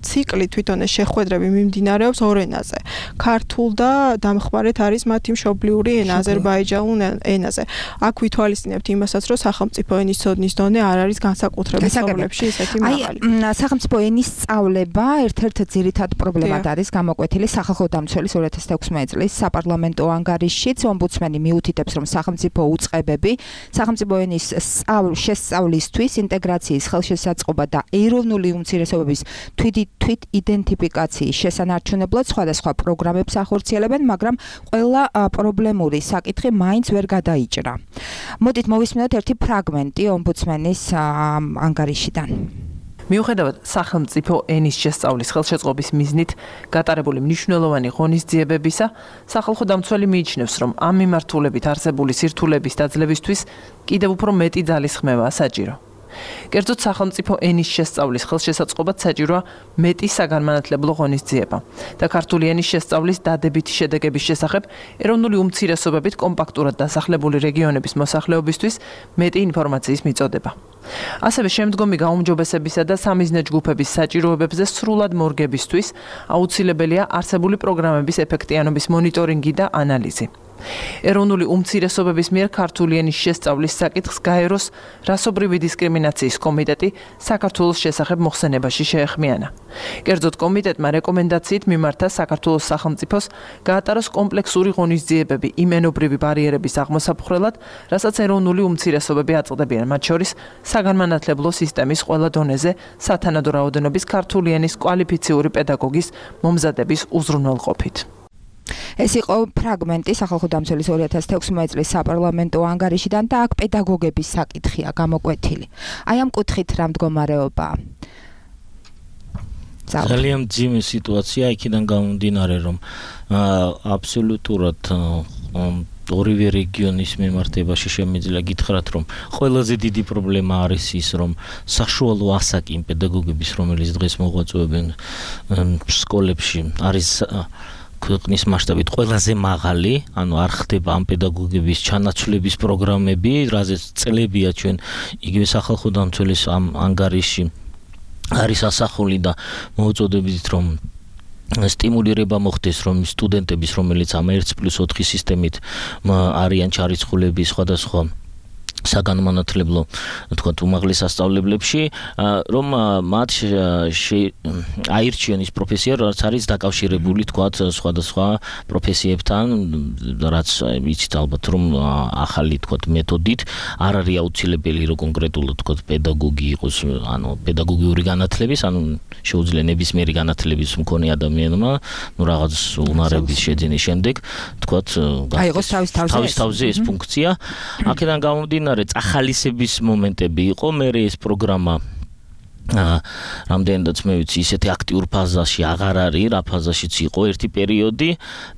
ციკლი თვითონ ეს შეხვედრები მიმდინარეობს ორ ენაზე. ქართულ და დამხმარეთ არის მათი მშობლიური ენა აზერბაიჯანულ ენაზე. აქ ვითვალისწინებთ იმასაც, რომ სახელმწიფო ენის ცოდნის დონე არ არის განსაკუთრებით სოფლებში ისეთი მაღალი. სახელმწიფო ენის სწავლება ერთ-ერთ ძირითად პრობლემად არის გამოკვეთილი სახალხო დამცველის 2016 წლის საპარლამენტო ანგარიშშიც. ომბუდსმენი მიუთითებს, რომ სახელმწიფო უწყებები სახელმწიფო ენის შესწავლისთვის ინტეგრაციის ხელშესაწყობა და ეროვნული უმცირესობების თვით იდენტიფიკაციის შესანარჩუნებლად სხვადასხვა პროგრამებს ახორციელებენ, მაგრამ ყველა პრობლემური საკითხი მაინც ვერ გადაიჭრა. მოდით მოვისმინოთ ერთი ფრაგმენტი ომბუდსმენის ანგარიშიდან. მიუხედავად სახელმწიფო ენის შესწავლის ხელშეწყობის მიზნით გატარებული მნიშვნელოვანი ღონისძიებებისა, სახალხო დამცველი მიიჩნევს, რომ ამ მიმართულებით არსებული სირთულების დაძლებისთვის კიდევ უფრო მეტი ძალისხმევაა საჭირო. კერძოდ სახელმწიფო ენის შესწავლის ხელშესაწყობად საჭიროა მეტი საგანმანათლებლო ღონისძიება და ქართული ენის შესწავლის დადებითი შედეგების შესახებ ეროვნული უმცირესობებით კომპაქტურად დასახლებული რეგიონების მოსახლეობისთვის მეტი ინფორმაციის მიწოდება. ასევე შემდგომი გაუმჯობესებისა და სამიზნე ჯგუფების საჭიროებებზე სრულად მორგებისთვის აუცილებელია არსებული პროგრამების ეფექტიანობის მონიტორინგი და ანალიზი. ეროვნული უმცირესობების მიერ ქართული ენის შესწავლის საკითხს გაეროს რასობრივი დისკრიმინაციის კომიტეტი საქართველოს შესახებ მოხსენებაში შეეხმიანა. კერძოდ კომიტეტმა რეკომენდაციით მიმართა საქართველოს სახელმწიფოს გაატაროს კომპლექსური ღონისძიებები იმ ენობრივი ბარიერების აღმოსაფხრელად, რასაც ეროვნული უმცირესობები აწყვდებიან, მათ შორის საგანმანათლებლო სისტემის ყველა დონეზე სათანადო რაოდენობის ქართული ენის კვალიფიციური პედაგოგის მომზადების უზრუნველყოფით. ეს იყო ფრაგმენტი სახალხო დამცველის 2016 წლის საპარლამენტო ანგარიშიდან და აქ პედაგოგების საკითხია გამოკვეთილი. აი ამ კუთხით რა მდგომარეობაა? ძალიან ძიმე სიტუაცია იქიდან გამომდინარე, რომ აბსოლუტურად ორივე რეგიონის მიმართებაში შემიძლია გითხრათ, რომ ყველაზე დიდი პრობლემა არის ის, რომ საშუალო ასაკი იმ პედაგოგების, რომელიც დღეს მოღვაწეობენ სკოლებში, არის ქვეყნის მასშტაბით ყველაზე მაღალი, ანუ არ ხდება ამ პედაგოგების ჩანაცვლების პროგრამები, რაზეც წლებია ჩვენ იგივე სახალხო დამცველის ამ ანგარიში არის ასახული და მოუწოდებთ, რომ სტიმულირება მოხდეს, რომ სტუდენტების, რომელიც ამ 1+4 სისტემით არიან ჩარიცხულები სხვადასხვა საგანმანათლებლო, თქვათ, უმაღლეს სასწავლებლებში, რომ მათ აირჩიონ ის პროფესია, რაც არის დაკავშირებული, თქვათ, სხვადასხვა პროფესიებთან, რაც იცით ალბათ, რომ ახალი, თქვათ, მეთოდით არ არის აუცილებელი, რომ კონკრეტულად, თქვათ, პედაგოგი იყოს, ანუ პედაგოგიური განათლების, ანუ შეუძლია ნებისმიერი განათლების მქონე ადამიანმა, ну რაღაც უნარების შეძენის შემდეგ, თქვათ, აიღოს თავის ეს ფუნქცია. აქედან გამომდინარე ახალისების მომენტები იყო, მე ეს პროგრამა რამდენადაც მე ვიცი, ისეთი აქტიურ ფაზაში აღარ არის, რა ფაზაშიც იყო ერთი პერიოდი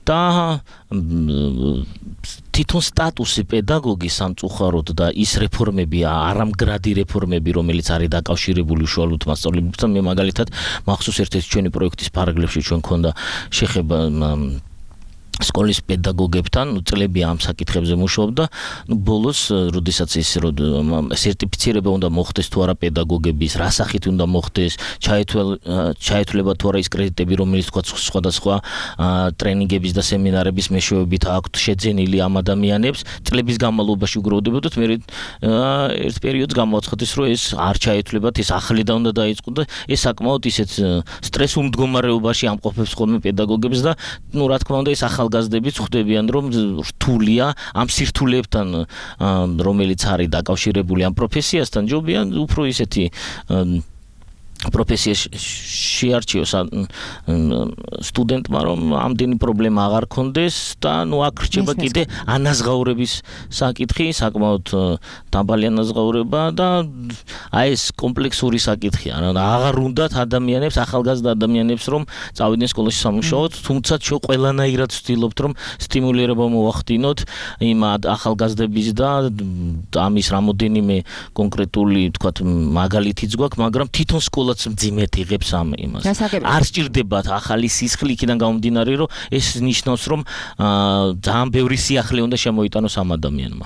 და თვითონ სტატუსი პედაგოგის სამწუხაროდ და ის რეფორმები, არამგრადი რეფორმები, რომელიც არის დაკავშირებული უშუალოდ მასწავლებლებთან, მე მაგალითად მახსოვს ერთ-ერთი ჩვენი პროექტის პარაგრაფში ჩვენ ქონდა შეხება სკოლის პედაგოგებთან, წლები ამ საკითხებზე მუშაობდა, ბოლოს, როდესაც ეს სერტიფიცირება უნდა მოხდეს თუ არა პედაგოგების, რა სახით უნდა მოხდეს, ჩაეთვლება თუ არა ის კრედიტები, რომელიც თქვა სხვადასხვა ტრენინგების და სემინარების მეშვეობით აქვთ შეძენილი ამ ადამიანებს, წლების განმავლობაში უგროვდებოდათ, მე ერთ პერიოდს გამოაცხადეს, რომ ეს არ ჩაეთვლებათ, ეს ახლიდან უნდა დაიწყო და ეს საკმაოდ ისეთ სტრესულ მდგომარეობაში ამყოფებს ხოლმე პედაგოგებს და, რა თქმა უნდა, ეს ახალგაზრდები ხვდებიან, რომ რთულია ამ სირთულეებთან, რომელიც არის დაკავშირებული ამ პროფესიასთან, ჯობია უფრო ისეთი პროფესია შეარჩიოს სტუდენტმა, რომ ამდენი პრობლემა აღარ ქონდეს და აქ რჩება კიდე ანაზღაურების საკითხი, საკმაოდ დაბალი ანაზღაურება და აი ეს კომპლექსური საკითხია. აღარ უნდათ ადამიანებს, ახალგაზრდა ადამიანებს, რომ წავიდნენ სკოლაში სამუშაოდ, თუმცა ჩვენ ყველანაირად ვცდილობთ, რომ სტიმულირება მოვახდინოთ იმ ახალგაზრდების და ამის რამოდენიმე კონკრეტული, თქვათ, მაგალითიც გვაქვს, მაგრამ თვითონ სკოლაც მძიმედ იღებს ამ იმას. არ სჭირდებათ ახალი სისხლი იქიდან გამომდინარე, რომ ეს ნიშნავს, რომ ძალიან ბევრი სიახლე უნდა შემოიტანოს ამ ადამიანმა.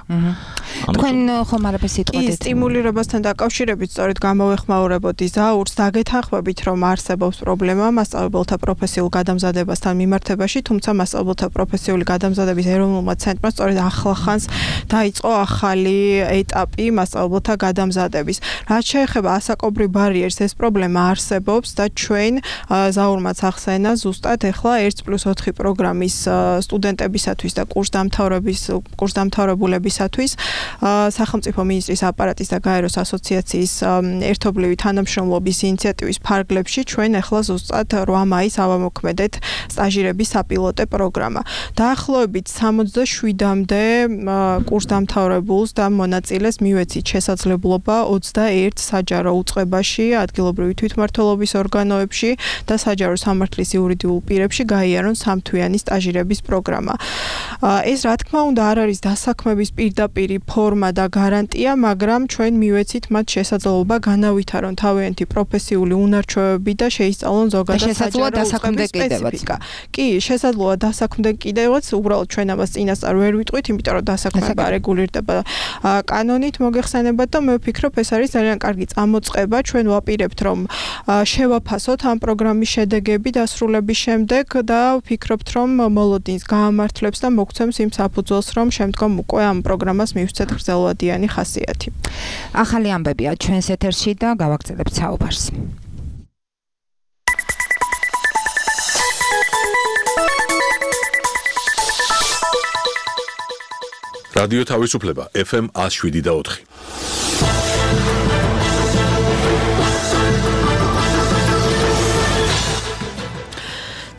თქვენ ხომ არაფერს იტყოდით? სტიმულირებასთან დაკავშირებით სწორედ გამოვეხმაურებოდი ზაურს, დაგეთანხმებით, რომ არსებობს პრობლემა მასწავლებელთა პროფესიულ გადამზადებასთან მიმართებაში, თუმცა მასწავლებელთა პროფესიული გადამზადების ეროვნულმა ცენტრმა სწორედ ახლახანს დაიწყო ახალი ეტაპი მასწავლებელთა გადამზადების. რაც შეეხება ასაკობრივ ბარიერს, ეს პრობლემა არსებობს და ჩვენ ზაურმაც ახსენა ზუსტად ეხლა 1+4 პროგრამის სტუდენტებისათვის და კურსდამთავრებულებისათვის სახელმწიფო მინისტრის აპარატის და გაეროს ასოციაციის ერთობლივი თანამშრომლობის ინიციატივის ფარგლებში ჩვენ ეხლა ზუსტად 8 მაისს ავამოქმედეთ სტაჟირების საპილოტე პროგრამა. დაახლოებით 67-მდე კურსდამთავრებულს და მონაწილეს მივეცით შესაძლებლობა 21 საჯარო უწყებაში, ადგილობრივი თვითმმართველობის ორგანოებში და საჯარო სამართლის იურიდიულ პირებში გაიარონ სამთვიანი სტაჟირების პროგრამა. ეს რა თქმა უნდა არ არის დასაქმების პირდაპირი ფორმა ფორმა და გარანტია, მაგრამ ჩვენ მივეცით მათ შესაძლებლობა განავითარონ თავიანთი პროფესიული უნარჩვევები და შეისწავლონ ზოგადად საჯარო სპეციფიკა. კი, შესაძლოა დასაქმდნენ კიდევაც, უბრალოდ ჩვენ ამას წინასწარ ვერ ვიტყვით, იმიტომ რომ დასაქმება რეგულირდება კანონით მოგეხსენებათ და მე ვფიქრობ, ეს არის ძალიან კარგი წამოწყება. ჩვენ ვაპირებთ, რომ შევაფასოთ ამ პროგრამის შედეგები დასრულების შემდეგ და ვფიქრობთ, რომ მოლოდინს გაამართლებს და მოგცემს იმ საფუძველს, რომ შემდგომ უკვე ამ პროგრამას მივცეთ გრძელვადიანი ხასიათი. ახალი ამბებია ჩვენს ეთერში და გავაგრძელებთ საუბარს. რადიო თავისუფლება FM 107.4.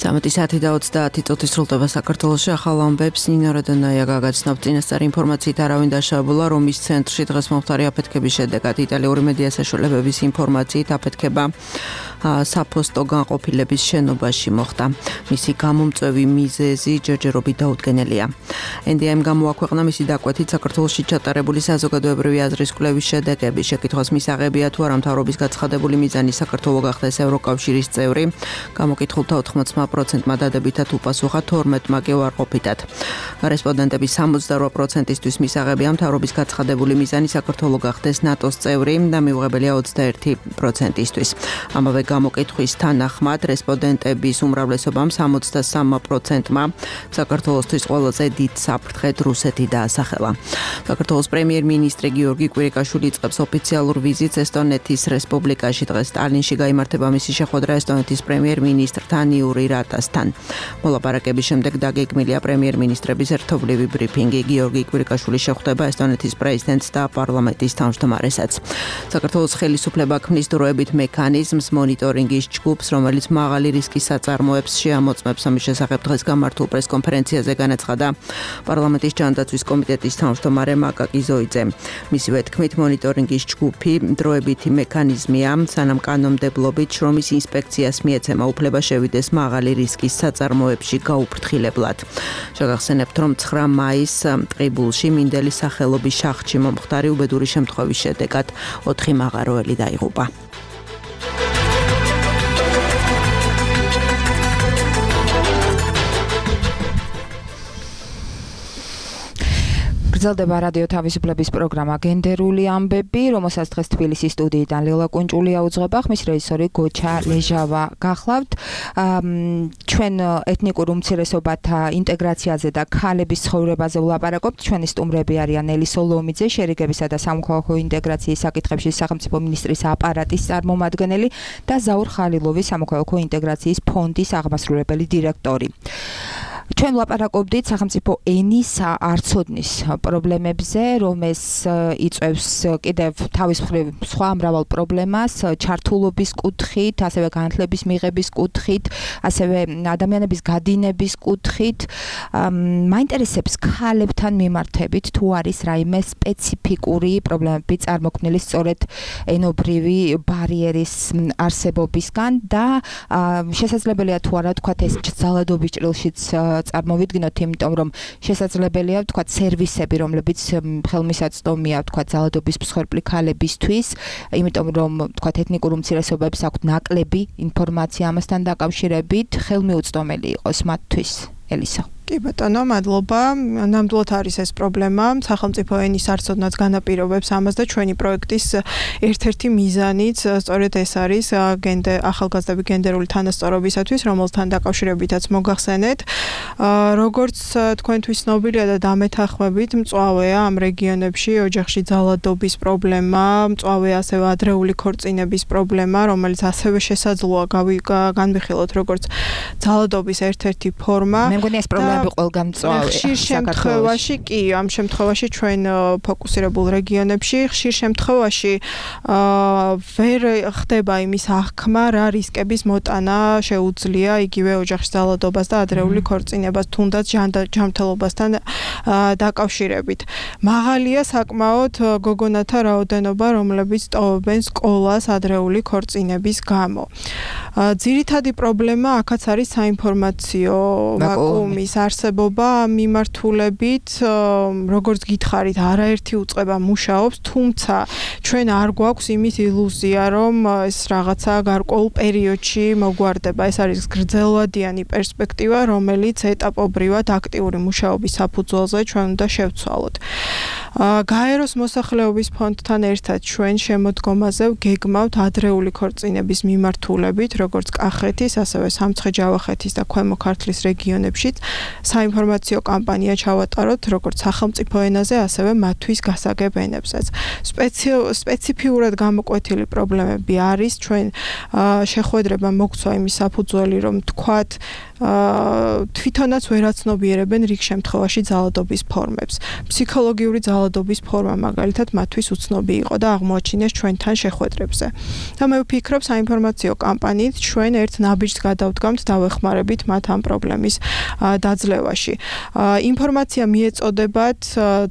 Სამეთი საათი და 30 წუთი სრულდება საქართველოში. ახალ ამბებს ნინო როდონაია გაგაცნობთ. წინასწარი ინფორმაციით არავინ დაშავებულა რომის ცენტრში დღეს მომხდარი აფეთქების შედეგად. იტალიური მედია საშუალებების ინფორმაციით აფეთქება საფოსტო განყოფილების შენობაში მოხდა. მისი გამომწვევი მიზეზი ჯერჯერობით დაუდგენელია. NDM გამოაქვეყნა მისი დაკვეთით საქართველოში ჩატარებული საზოგადოებრივი აზრის კვლევის შედეგები. შეკითხვას მისაღებია თუ არა მთავრობის გაცხადებული მიზანი საქართველო გახდეს ევროკავშირის წევრი. გამოკითხულთა 80%-მა დადებითად უპასუხა, 12-მა კი უარყოფითად. რესპონდენტების 68%-ისთვის მისაღებია მთავრობის გაცხადებული მიზანი საქართველო გახდეს ნატოს წევრი და მიუღებელია 21%-ისთვის. ამავე გამოკითხვის თანახმად რესპონდენტების უმრავლესობამ 63%-მა საქართველოსთვის ყველაზე დიდ საფრთხედ რუსეთი დაასახელა. საქართველოს პრემიერ-მინისტრი გიორგი კვირიკაშვილი იწყებს ოფიციალურ ვიზიტს ესტონეთის რესპუბლიკაში. დღეს ტალინში გაიმართება მისი შეხვედრა ესტონეთის პრემიერ-მინისტრთან იური რატასთან. მოლაპარაკების შემდეგ დაგეგმილია პრემიერ-მინისტრების ერთობლივი ბრიფინგი. გიორგი კვირიკაშვილის შეხვდება ესტონეთის პრეზიდენტს და პარლამენტის თავმჯდომარესაც. საქართველოს ხელისუფლება ქმნის დროებით მექანიზმს მონიტორინგის ჯგუფს, რომელიც მაღალი რისკის საწარმოებს შეამოწმებს. ამის შესახებ დღეს გამართულ პრესკონფერენციაზე განაცხადა პარლამენტის ჯანდაცვის კომიტეტის თავმჯდომარე მაკაკი ზოიძე. მისივე თქმით, მონიტორინგის ჯგუფი დროებითი მექანიზმია, სანამ კანონმდებლობით შრომის ინსპექციას მიეცემა უფლება შევიდეს მაღალი რისკის საწარმოებში გაუფრთხილებლად. შეგახსენებთ, რომ 9 მაისს ტყიბულში მინდელის სახელობის შახტში მომხდარი უბედური შემთხვევის შედეგად 4 მაღაროელი დაიღუპა. გრძელდება რადიო თავისუფლების პროგრამა გენდერული ამბები, რომელსაც დღეს თბილისის სტუდიიდან ლელა კუნჭულია უძღვება, ხმის რეჟისორი გოჩა ლეჟავა გახლავთ. ჩვენ ეთნიკურ უმცირესობათა ინტეგრაციაზე და ქალების ცხოვრებაზე ვლაპარაკობთ. ჩვენი სტუმრები არიან ელი სოლომიძე, შერიგებისა და სამოქალაქო ინტეგრაციის საკითხებში სახელმწიფო მინისტრის აპარატის წარმომადგენელი და ზაურ ხალილოვი, სამოქალაქო ინტეგრაციის ფონდის აღმასრულებელი დირექტორი. ჩვენ ვლაპარაკობდით სახელმწიფო ენის არცოდნის პრობლემებზე, რომელს იწვევს კიდევ თავის მხრივ სხვა მრავალ პრობლემას, ჩართულობის კუთხით, ასევე განათლების მიღების კუთხით, ასევე ადამიანების გადინების კუთხით. მაინტერესებს ქალებთან მიმართებით თუ არის რაიმე სპეციფიკური პრობლემები წარმოქმნილი სწორედ ენობრივი ბარიერის არსებობისგან და შესაძლებელია თუ არა თქვათ ეს ძალადობის ჭრილშიც წარმოვიდგინოთ, იმიტომ რომ შესაძლებელია ვთქვათ სერვისები, რომლებიც ხელმისაწვდომია ვთქვათ ძალადობის მსხვერპლი ქალებისთვის, იმიტომ რომ ვთქვათ ეთნიკურ უმცირესობებს აქვთ ნაკლები ინფორმაცია ამასთან დაკავშირებით, ხელმიუწვდომელი იყოს მათთვის. ელისო. კი ბატონო, მადლობა. ნამდვილად არის ეს პრობლემა. სახელმწიფო ენის არცოდნაც განაპირობებს ამას და ჩვენი პროექტის ერთ-ერთი მიზანიც სწორედ ეს არის ახალგაზრდები გენდერული თანასწორობისათვის, რომელთან დაკავშირებითაც მოგახსენეთ. როგორც თქვენთვის ცნობილია და დამეთანხმებით, მწვავეა ამ რეგიონებში ოჯახში ძალადობის პრობლემა, მწვავეა ასევე ადრეული ქორწინების პრობლემა, რომელიც ასევე შესაძლოა განვიხილოთ როგორც ძალადობის ერთ-ერთი ფორმა. მე მგონი ეს პრობლემები ყველგან მწვავეა. ხშირ შემთხვევაში კი, ამ შემთხვევაში ჩვენ ფოკუსირებულ რეგიონებში ხშირ შემთხვევაში ვერ ხდება იმის აღქმა, რა რისკების მოტანა შეუძლია იგივე ოჯახში ძალადობას და ადრეული ქორწინებას, თუნდაც ჯანმრთელობასთან დაკავშირებით. მაღალია საკმაოდ გოგონათა რაოდენობა, რომლებიც ტოვებენ სკოლას ადრეული ქორწინების გამო. ძირითადი პრობლემა აქაც არის საინფორმაციო ვაკუუმის არსებობა მიმართულებით, როგორც გითხარით, არაერთი უწყება მუშაობს, თუმცა ჩვენ არ გვაქვს იმის ილუზია, რომ ეს რაღაცა გარკვეულ პერიოდში მოგვარდება. ეს არის გრძელვადიანი პერსპექტივა, რომელიც ეტაპობრივად აქტიური მუშაობის საფუძველზე ჩვენ უნდა შევცვალოთ. გაეროს მოსახლეობის ფონდთან ერთად ჩვენ შემოდგომაზე გეგმავთ ადრეული ქორწინების მიმართულებით, როგორც კახეთის, ასევე სამცხე-ჯავახეთის და ქვემო ქართლის რეგიონებშიც საინფორმაციო კამპანია ჩავატაროთ, როგორც სახელმწიფო ენაზე, ასევე მათთვის გასაგებ ენებზეც. სპეციფიურად გამოკვეთილი პრობლემები არის, ჩვენ შეხვედრება მოგცვა იმის საფუძველი, რომ თქვათ თვითონაც ვერაცნობიერებენ რიგ შემთხვევაში ძალადობის ფორმებს. ფსიქოლოგიური ძალადობის ფორმა მაგალითად მათთვის უცნობი იყო და აღმოაჩინეს ჩვენთან შეხვედრებზე. და მე ვფიქრობ, საინფორმაციო კამპანიით ჩვენ ერთ ნაბიჯს გადავდგამთ და ვეხმარებით მათ ამ პრობლემის დაძლევაში. ინფორმაცია მიეწოდებათ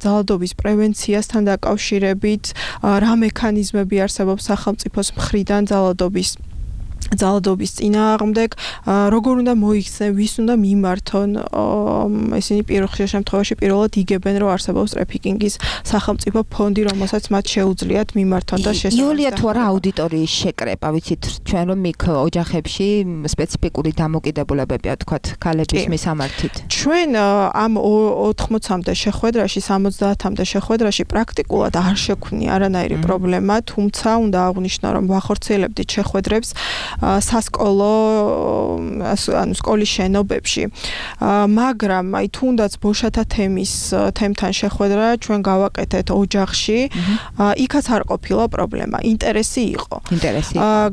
ძალადობის პრევენციასთან დაკავშირებით, რა მექანიზმები არსებობს სახელმწიფოს მხრიდან ძალადობის წინააღმდეგ, როგორ უნდა მოიქცნენ, ვის უნდა მიმართონ, ესენი ხშირ შემთხვევაში პირველად იგებენ, რომ არსებობს ტრაფიკინგის სახელმწიფო ფონდი, რომელსაც მათ შეუძლიათ მიმართონ და შესაძლოა. იულია, თუ არა აუდიტორიის შეკრება, ვიცით, ჩვენ რომ იქ ოჯახებში სპეციფიკური დამოკიდებულებებია, თქვათ, ქალების მისამართით. ჩვენ ამ 80-მდე შეხვედრაში, 70-მდე შეხვედრაში პრაქტიკულად არ შექმნი არანაირი პრობლემა, თუმცა უნდა აღვნიშნო, რომ ვახორციელებდით შეხვედრებს სასკოლო, ანუ სკოლის შენობებში. მაგრამ აი თუნდაც ბოშათა თემთან შეხვედრა ჩვენ გავაკეთეთ ოჯახში, იქაც არ ყოფილა პრობლემა, ინტერესი იყო.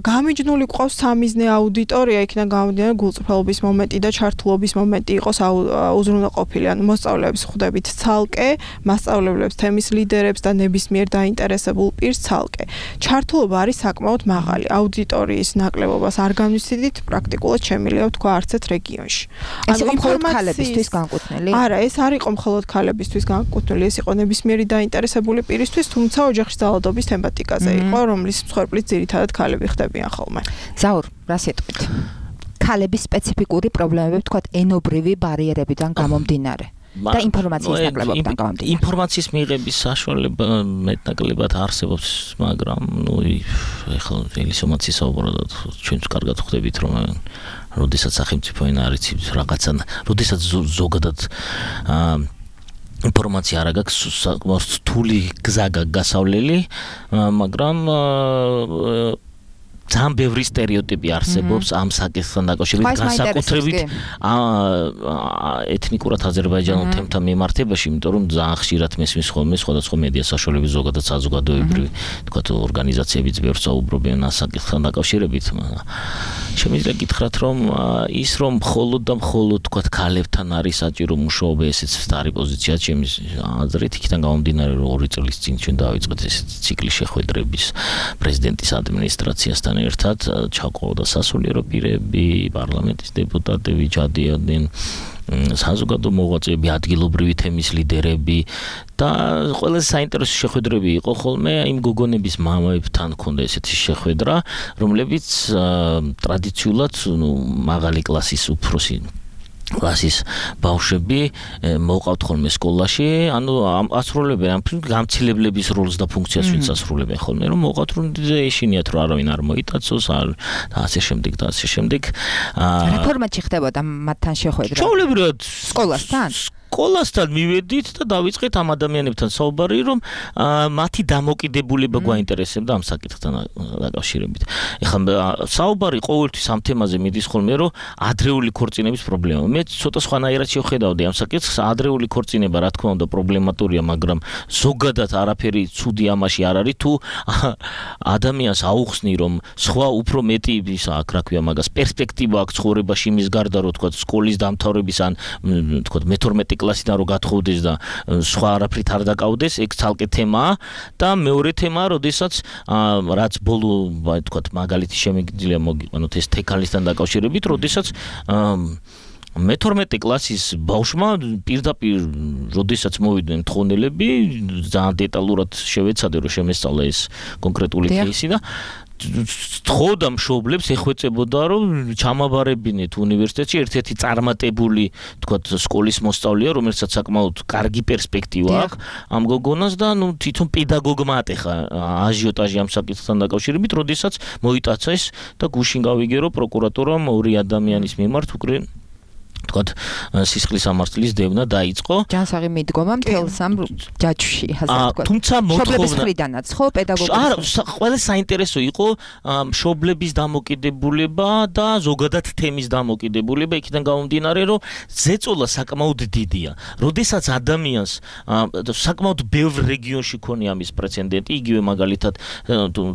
გამიჯნული ყავს სამიზნე აუდიტორია, იქიდან გამომდინარე გულწრფელობის მომენტი და ჩართულობის მომენტი იყოს უზრუნველყოფილი, ანუ მოსწავლეებს ხვდებით ცალკე, მასწავლებლებს, თემის ლიდერებს და ნებისმიერ დაინტერესებულ პირს ცალკე. ჩართულობა არის საკმაოდ მაღალი, აუდიტორიის ნაკლებობას არ განვიცდით, პრაქტიკულად შემიძლია ვთქვა არც ერთ რეგიონში. ეს იყო მხოლოდ ქალებისთვის განკუთვნილი? არა, ეს არ იყო მხოლოდ ქალებისთვის განკუთვნილი, ეს იყო ნებისმიერი დაინტერესებული პირისთვის, თუმცა ოჯახში ძალადობის თემატიკაზე იყო, რომლის მსხვერპლიც ძირითადად ქალები ხდებიან ხოლმე. ზაურ, რა სიტყვით? ქალების სპეციფიკური პრობლემები, თქვათ, ენობრივი ბარიერებიდან გამომდინარე. და ინფორმაციის ნაკლებობიდან გამომდინარე. ინფორმაციის მიღების საშუალება მეტნაკლებად არსებობს, მაგრამ ეხლა ელისომაცის საუბრობთ, ჩვენც კარგად ხვდებით, რომ როდესაც სახელმწიფო ენა არის რაღაცა, როდესაც ზოგადად ინფორმაცია არ აქვს, რთული გზა გასავლელი, მაგრამ ძალიან ბევრი სტერეოტიპი არსებობს ამ საკითხთან დაკავშირებით, განსაკუთრებით ეთნიკურად აზერბაიჯანულ თემთან მიმართებაში, იმიტომ რომ ძალიან ხშირად მესმის ხოლმე სხვადასხვა მედია საშუალების ზოგადად საზოგადოებრივი, თქვათ, ორგანიზაციებიც ბევრს საუბრობენ ამ საკითხთან დაკავშირებით. შემიძლია გითხრათ, რომ ის რომ მხოლოდ და მხოლოდ, თქვათ, ქალებთან არის საჭირო მუშაობა, ესეც არის პოზიცია ჩემის აზრით, იქიდან გამომდინარე, რომ 2 წლის წინ ჩვენ დავიწყეთ ესეთი ციკლი შეხვედრების პრეზიდენტის ადმინისტრაციასთან ერთად, ჩაყოლდა სასულიერო პირები, პარლამენტის დეპუტატები ჩადიოდნენ, საზოგადო მოღვაწეები, ადგილობრივი თემის ლიდერები და ყველაზე საინტერესო შეხვედრები იყო ხოლმე იმ გოგონების მამებთან ქონდა ესეთი შეხვედრა, რომლებიც ტრადიციულად მაღალი კლასის უფროსი კლასის ბავშვები მოყავთ ხოლმე სკოლაში, ანუ ასრულებენ ამ გამცილებლების როლს და ფუნქციას ვინც ასრულებენ ხოლმე, რომ მოყავთ, რომ ეშინიათ, რომ არავინ არ მოიტაცოს, და ასე შემდეგ და ასე შემდეგ. რა ფორმატში ხდებოდა მათთან შეხვედრა? ჩვეულებრივად სკოლასთან? სკოლასთან მივედით და დავიწყეთ ამ ადამიანებთან საუბარი, რომ მათი დამოკიდებულება გვაინტერესებდა ამ საკითხთან დაკავშირებით. ეხლა საუბარი ყოველთვის ამ თემაზე მიდის ხოლმე, რომ ადრეული ქორწინების პრობლემა. მე ცოტა სხვანაირად შევხედავდი ამ საკითხს, ადრეული ქორწინება რა თქმა უნდა პრობლემატურია, მაგრამ ზოგადად არაფერი ცუდი ამაში არ არის, თუ ადამიანს აუხსნი, რომ სხვა უფრო მეტი ისა, აქ რა ქვია მაგას, პერსპექტივა აქვს ცხოვრებაში იმის გარდა, რომ თქვა სკოლის დამთავრების ან თქვა მე-12 კლასიდან რო გათხოვდეს და სხვა არაფრით არ დაკავდეს, ეგ ცალკე თემაა და მეორე თემაა, როდესაც რაც ბოლო, თქვა მაგალითი შემიძლია მოგიყვანოთ ეს თექალისთან დაკავშირებით, როდესაც მე-12 კლასის ბავშვმა პირდაპირ, როდესაც მოვიდნენ თხოვნელები, ძალიან დეტალურად შევეცადე, რომ შემესწავლა ეს კონკრეტული кейსი და თხოვდა მშობლებს ეხვეწებოდა რომ ჩამაბარებინეთ უნივერსიტეტში ერთ-ერთი წარმატებული თქვათ სკოლის მოსწავლეა რომელსაც საკმაოდ კარგი პერსპექტივა აქვს ამ გოგონას და თვითონ პედაგოგმა ატეხა აჟიოტაჟი ამ საკითხთან დაკავშირებით როდესაც მოიტაცა ეს და გუშინ გავიგე რომ პროკურატურამ ორი ადამიანის მიმართ უკვე თქვათ სისხლის სამართლის დევნა დაიწყო. ჯანსაღი მიდგომა მთელს ამ ჯაჭვში, ასე ვთქვათ. თუმცა მშობლების მხრიდანაც ხო პედაგოგების. არა, ყველა საინტერესო იყო მშობლების დამოკიდებულება და ზოგადად თემის დამოკიდებულება იქიდან გამომდინარე, რომ ზეწოლა საკმაოდ დიდია. როდესაც ადამიანს საკმაოდ ბევრ რეგიონში ქონია ამის პრეცედენტი, იგივე მაგალითად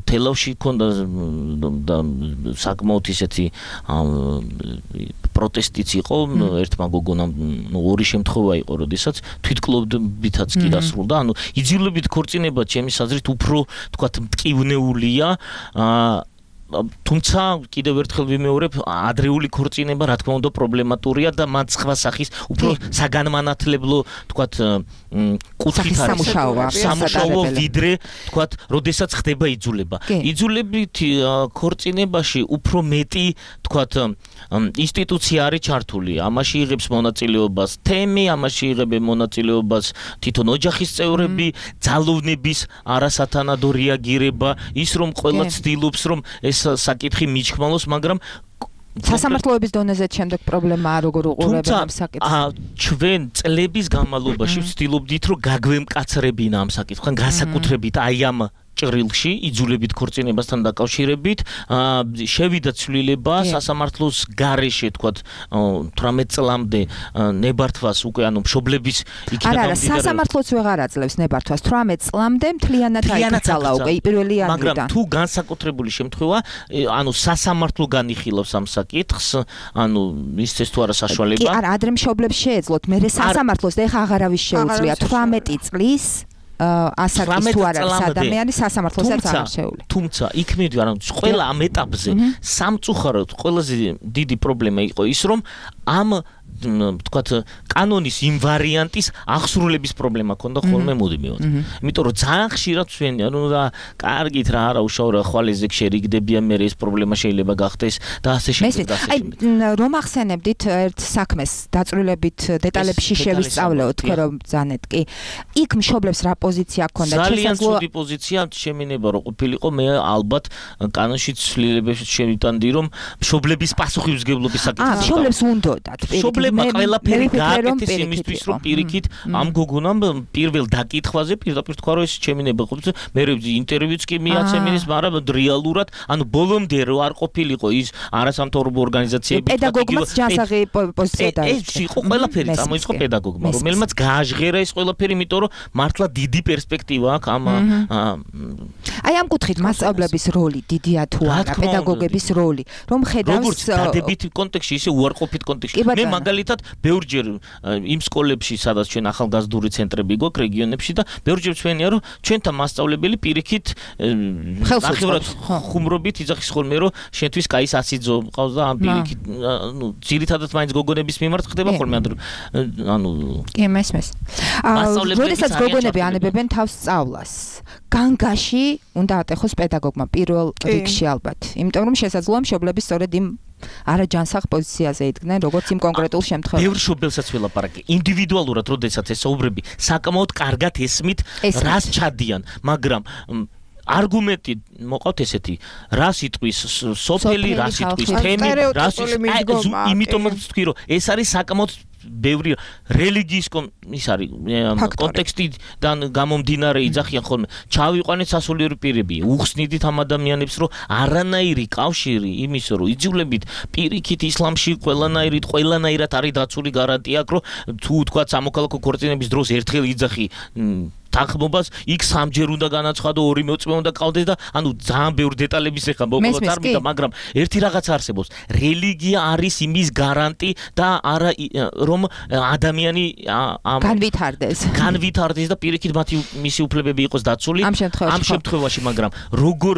თელავში ქონდა და საკმაოდ ისეთი პროტესტიც იყო ერთმა გოგონამ ორი შემთხვევა იყო, როდესაც თვითკლობებითაც კი დასრულდა. ანუ იძულებით ქორწინება ჩემის აზრით უფრო თქვათ მტკივნეულია. თუმცა კიდევ ერთხელ ვიმეორებ, ადრეული ქორწინება რა თქმა უნდა პრობლემატურია და მან სხვა სახის უფრო საგანმანათლებლო თქვათ კუთხით არის სამუშაო ვიდრე თქვათ როდესაც ხდება იძულება. იძულებით ქორწინებაში უფრო მეტი თქვათ ინსტიტუცია არის ჩართული. ამაში იღებს მონაწილეობას თემი, ამაში იღებენ მონაწილეობას თვითონ ოჯახის წევრები, ძალოვნების არასათანადო რეაგირება, ის რომ ყველა ცდილობს რომ ეს საკითხი მიჩქმალოს, მაგრამ სასამართლოების დონეზე შემდეგ პრობლემაა როგორ უყურებენ ამ საკითხს. ჩვენ წლების განმავლობაში ვცდილობდით რომ გაგვემკაცრებინა ამ საკითხთან, განსაკუთრებით აი ამ ჭრილში იძულებით ქორწინებასთან დაკავშირებით შევიდა ცვლილება სასამართლოს გარეშე თქვათ 18 წლამდე ნებართვას უკვე ანუ მშობლების იქიდან არა სასამართლოც ვეღარ აძლევს ნებართვას 18 წლამდე მთლიანად აიკრძალა უკვე პირველი იანვრიდან მაგრამ თუ განსაკუთრებული შემთხვევა ანუ სასამართლო განიხილავს ამ საკითხს ანუ მისცეს თუ არა საშუალება კი არა ადრე მშობლებს შეეძლოთ მე სასამართლოს და ეხა აღარავის შეუძლია 18 წლის ასაკის თუ არა ადამიანის სასამართლოსაც არ შეუძლია. თუმცა იქ მივიდა რომ ყველა ამ ეტაპზე სამწუხაროდ ყველაზე დიდი პრობლემა იყო ის რომ ამ თქვათ კანონის იმ ვარიანტის აღსრულების პრობლემა ქონდა ხოლმე მუდმივად. იმიტომ რომ ძალიან ხშირად ჩვენია რომ და კარგით რა არა უშაურა ხვალეზე შერიგდებიან მე ეს პრობლემა შეიძლება გახდეს და ასე შემდეგ. აი რომ ახსენებდით ერთ საქმეს დაწვრილებით დეტალებში შევისწავლეო თქვენ რომ ბრძანეთ კი. იქ მშობლებს რა პოზიცია ჰქონდა? ძალიან ცუდი პოზიცია შემინება რომ ყოფილიყო მე ალბათ კანონში ცვლილებებს შევიტანდი რომ მშობლების პასუხისმგებლობის საკითხი. მშობლებს უნდათ მშობლებმა ყველაფერი გააკეთეს იმისთვის რომ პირიქით ამ გოგონამ პირველ დაკითხვაზე პირდაპირ თქვა რომ ეს შემინება ყოფილიყო მე ინტერვიუც კი მიაცემინეს მაგრამ რეალურად ანუ ბოლომდე რო არ ყოფილიყო ის არასამთავრობო ორგანიზაციები პედაგოგმაც ჯანსაღი პოზიცია დაიწყო. ეს იყო ყველაფერი წამოიწყო პედაგოგმა რომელმაც გააჟღერა ეს ყველაფერი იმიტომ რომ მართლა დიდი პერსპექტივა აქვს ამ აი ამ კუთხით მასწავლებლების როლი დიდია თუ არა პედაგოგების როლი რომ ხედავს როგორც დადებითი კონტექსტში ისე უარყოფით კონტექსტში მე მაგალითად ბევრჯერ იმ სკოლებში სადაც ჩვენ ახალგაზრდული ცენტრები გვაქვს რეგიონებში და ბევრჯერ ჩვენია რომ ჩვენთან მასწავლებელი პირიქით ნახევრად ხუმრობით იძახის ხოლმე რომ შენთვის კაი სასიძო მყავს და ამ პირიქით ნუ ძირითადად მაინც გოგონების მიმართ ხდება ხოლმე ანუ კი მესმის როდესაც გოგონები ანებებენ თავს სწავლას განგაში უნდა ატეხოს პედაგოგმა პირველ რიგში ალბათ იმიტომ რომ შესაძლოა მშობლების სწორედ იმ არა ჯანსაღ პოზიციაზე იდგნენ როგორც იმ კონკრეტულ შემთხვევაში. ბევრ მშობელსაც ველაპარაკე. ინდივიდუალურად როდესაც ესაუბრები, საკმაოდ კარგად ესმით, რას ჩადიან, მაგრამ არგუმენტი მოყავთ ესეთი, რა სიტყვის სოფელი, რა სიტყვის თემი, რა სიტყვის იმიტომაც ვთქვი რომ ეს არის საკმაოდ ბევრი რელიგიის ის არის კონტექსტიდან გამომდინარე იძახიან ხოლმე ჩავიყვანეთ სასულიერო პირები უხსნიდით ამ ადამიანებს რომ არანაირი კავშირი იმის რომ იძულებით პირიქით ისლამში ყველანაირად არის დაცული გარანტია აქვს რომ თუ თქვა სამოქალაქო ქორწინების დროს ერთხელ იძახი თანხმობას იქ სამჯერ უნდა განაცხადო ორი მოწმე უნდა ყავდეს და ანუ ძალიან ბევრ დეტალების ეხა მოგოლა წარმიდა მაგრამ ერთი რაღაც არსებობს რელიგია არის იმის გარანტი და არა რომ ადამიანი განვითარდეს და პირიქით მათი მისი უფლებები იყოს დაცული ამ შემთხვევაში მაგრამ როგორ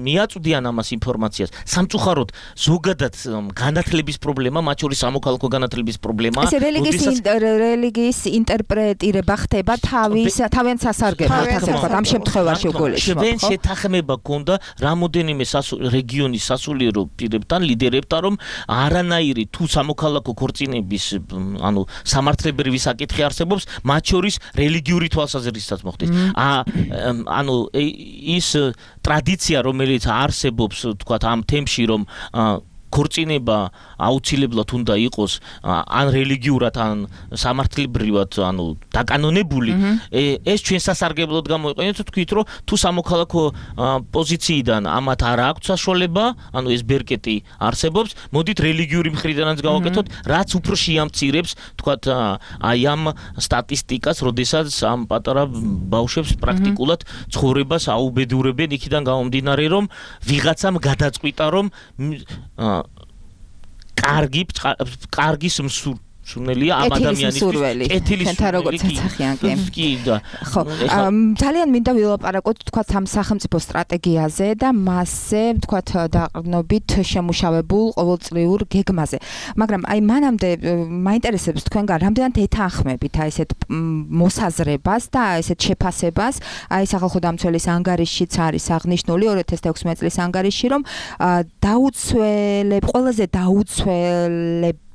მიაწვდიან ამას ინფორმაციას სამწუხაროდ ზოგადად განათლების პრობლემა მათ შორის სამოქალაქო განათლების პრობლემა ეს რელიგიის ინტერპრეტირება ხდება თავის თავენ სასარგებლოდ ასე ვთქვათ, ამ შემთხვევაში უგულისხმობ. ჩვენ შეთანხმება გქონდა რამოდენიმე რეგიონის სასულიერო პირებთან, ლიდერებთან, რომ არანაირი თუ სამოქალაქო ქორწინების, ანუ სამართლებრივი საკითხი არსებობს, მათ შორის რელიგიური თვალსაზრისითაც მოხდეს. ანუ ის ტრადიცია, რომელიც არსებობს, ვთქვათ, ამ თემში, რომ ქორწინება აუცილებლად უნდა იყოს ან რელიგიურად ან სამართლებრივად ანუ დაკანონებული ეს ჩვენ სასარგებლოდ გამოიყენეთ თქვით რომ თუ სამოქალაქო პოზიციიდან ამათ არ აქვს საშუალება ანუ ეს ბერკეტი არსებობს მოდით რელიგიური მხრიდანაც გავაკეთოთ რაც უფრო შეამცირებს თქვათ აი ამ სტატისტიკას როდესაც ამ პატარა ბავშვებს პრაქტიკულად ცხოვრებას აუბედურებენ იქიდან გამომდინარე რომ ვიღაცამ გადაწყვიტა რომ კარგი სურნელია ამ ადამიანისთვის კეთილის კი ხო ძალიან მინდა ვილაპარაკოთ თქვათ ამ სახელმწიფო სტრატეგიაზე და მასზე თქვათ დაყრდნობით შემუშავებულ ყოველწლიურ გეგმაზე მაგრამ აი მანამდე მაინტერესებს თქვენგან რამდენად ეთანხმებით აი ესეთ მოსაზრებას და ესეთ შეფასებას აი სახალხო დამცველის ანგარიშშიც არის აღნიშნული 2016 წლის ანგარიში რომ ყველაზე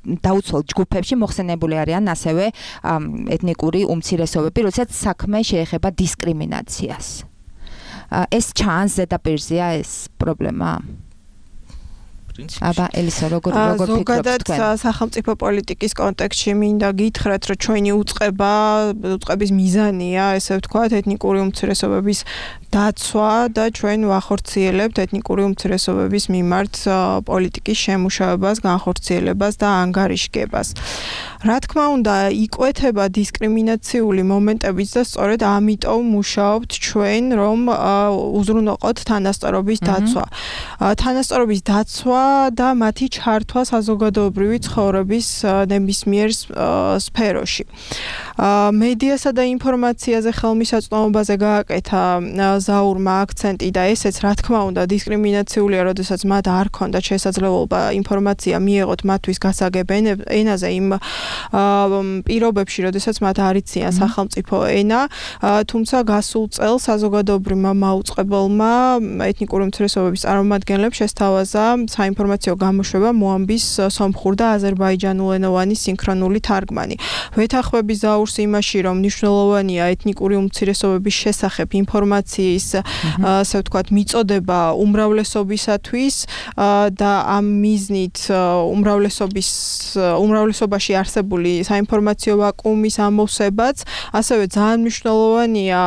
დაუცველ ჯგუფებში მოხსენებული არიან ასევე ეთნიკური უმცირესობები, როდესაც საქმე შეეხება დისკრიმინაციას. ეს ჩანს ზედაპირზეა ეს პრობლემა? აბა ელისო როგორ ზოგადად სახელმწიფო პოლიტიკის კონტექსტში მინდა გითხრათ რომ ჩვენი უწყების მიზანია ესე ვთქვათ ეთნიკური უმცირესობების დაცვა და ჩვენ ვახორციელებთ ეთნიკური უმცირესობების მიმართ პოლიტიკის შემუშავებას, განხორციელებას და ანგარიშგებას. რა თქმა უნდა, იკვეთება დისკრიმინაციული მომენტებიც და სწორედ ამიტომ მუშაობთ ჩვენ, რომ უზრუნველყოთ თანასწორობის დაცვა. თანასწორობის დაცვა და მათი ჩართვა საზოგადოებრივი ცხოვრების ნებისმიერ სფეროში. მედიასა და ინფორმაციაზე ხელმისაწვდომობაზე გააკეთა ზაურმა აქცენტი და ესეც რა თქმა უნდა დისკრიმინაციულია, როდესაც მათ არ ქონდათ შესაძლებლობა ინფორმაცია მიეღოთ მათთვის გასაგებ ენაზე იმ პირობებში, როდესაც მათ არ იციან სახელმწიფო ენა, თუმცა გასულ წელს საზოგადოებრივმა მაუწყებელმა ეთნიკური უმცირესობების წარმომადგენლებს შესთავაზა საინფორმაციო გამოშვება მოამბის სომხურ და აზერბაიჯანულენოვანი სინქრონული თარგმანი. ვეთანხმები ზაურს იმაში, რომ მნიშვნელოვანია ეთნიკური უმცირესობების შესახებ ინფორმაციის, ასე ვთქვათ, მიწოდება უმრავლესობისათვის და ამ მიზნით უმრავლესობაში არსებული საინფორმაციო ვაკუუმის ამოვსებაც, ასევე ძალიან მნიშვნელოვანია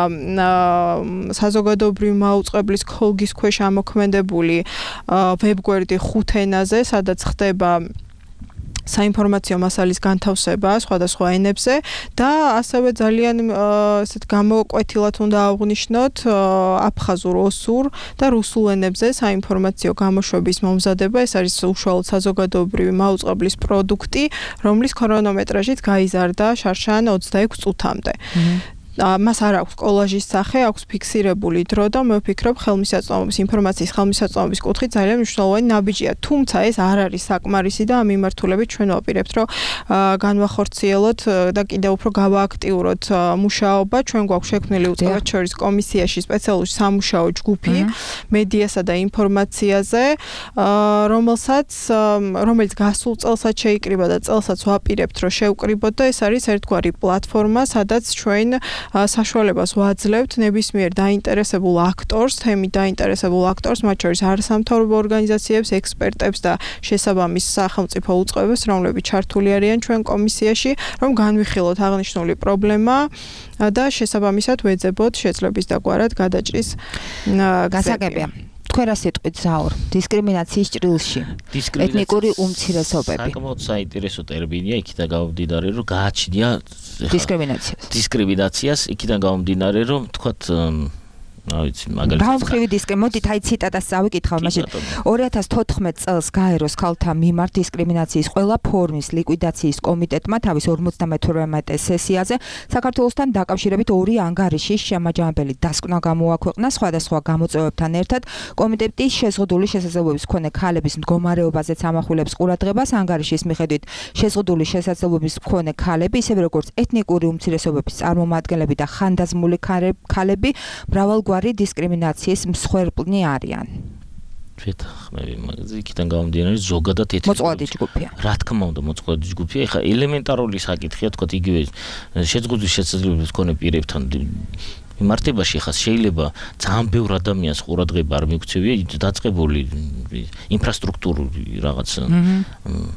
საზოგადოებრივი მაუწყებლის ქოლგის ქვეშ ამოქმედებული ვებგვერდი 5 ენაზე, სადაც ხდება საინფორმაციო მასალის განთავსება სხვადასხვა ენებზე და ასევე ძალიან ესეთ გამოკვეთილად უნდა აღვნიშნოთ აფხაზურ, ოსურ და რუსულ ენებზე საინფორმაციო გამოშვების მომზადება. ეს არის უშუალოდ საზოგადოებრივი მაუწყებლის პროდუქტი, რომლის ქრონომეტრაჟიც გაიზარდა შარშან 26 წუთამდე. მას არ აქვს კოლაჟის სახე, აქვს ფიქსირებული დრო და მე ვფიქრობ ინფორმაციის ხელმისაწვდომობის კუთხით ძალიან მნიშვნელოვანი ნაბიჯია. თუმცა ეს არ არის საკმარისი და ამ მიმართულებით ჩვენ ვაპირებთ, რომ განვახორციელოთ და კიდევ უფრო გავააქტიუროთ მუშაობა. ჩვენ გვაქვს შექმნილი უწყებად შორის კომისიაში სპეციალური სამუშაო ჯგუფი მედიასა და ინფორმაციაზე, რომელიც გასულ წელსაც შეიკრიბა და წელსაც ვაპირებთ, რომ შევკრიბოთ და ეს არის ერთგვარი პლატფორმა, სადაც ჩვენ საშუალებას ვაძლევთ ნებისმიერ დაინტერესებულ აქტორს, თემით დაინტერესებულ აქტორს, მათ შორის არასამთავრობო ორგანიზაციებს, ექსპერტებს და შესაბამის სახელმწიფო უწყებებს, რომლებიც ჩართული არიან ჩვენ კომისიაში, რომ განვიხილოთ აღნიშნული პრობლემა და შესაბამისად ვეძებოთ შეძლების დაგვარად გადაჭრის გასაგებია. თქვენ რა სიტყვით ზაურ? დისკრიმინაციის ჭრილში. ეთნიკური უმცირესობები. საკმაოდ საინტერესო ტერმინია, იქიდან გამომდინარე, რომ გააჩნია დისკრიმინაციას. იქიდან გამომდინარე, რომ თქვათ რა ვიცი, მაგალითად. გამხრივი მოდით აი ციტატას წავიკითხავ, მაშინ 2014 წელს გაეროს ქალთა მიმართ დისკრიმინაციის ყველა ფორმის ლიკვიდაციის კომიტეტმა თავის 58-მე სესიაზე საქართველოსთან დაკავშირებით ორი ანგარიშის შემაჯამებელი დასკვნა გამოაქვეყნა სხვადასხვა გამოწვევებთან ერთად. კომიტეტის შეზღუდული შესაძლებლობის მქონე ქალების მდგომარეობაზეც ამახვილებს ყურადღებას. ანგარიშის მიხედვით შეზღუდული შესაძლებლობის მქონე ქალები, ისევე როგორც ეთნიკური უმცირესობების წარმომადგენლები და ხანდაზმული ქალები მრავალგვარი დისკრიმინაციის მსხვერპლნი არიან. შეთანხმები მაგაზე იქიდან გამომდინარე ზოგადად მოწყვლადი ჯგუფია. რა თქმა უნდა, მოწყვლადი ჯგუფია. ეხლა ელემენტარული საკითხია, თქვა იგივე შეზღუდული შესაძლებლობის მქონე პირებთან მიმართებაში ხა შეიძლება ძალიან ბევრ ადამიანს ყურადღება არ მიგვცევია დაწყებული ინფრასტრუქტურული რაღაც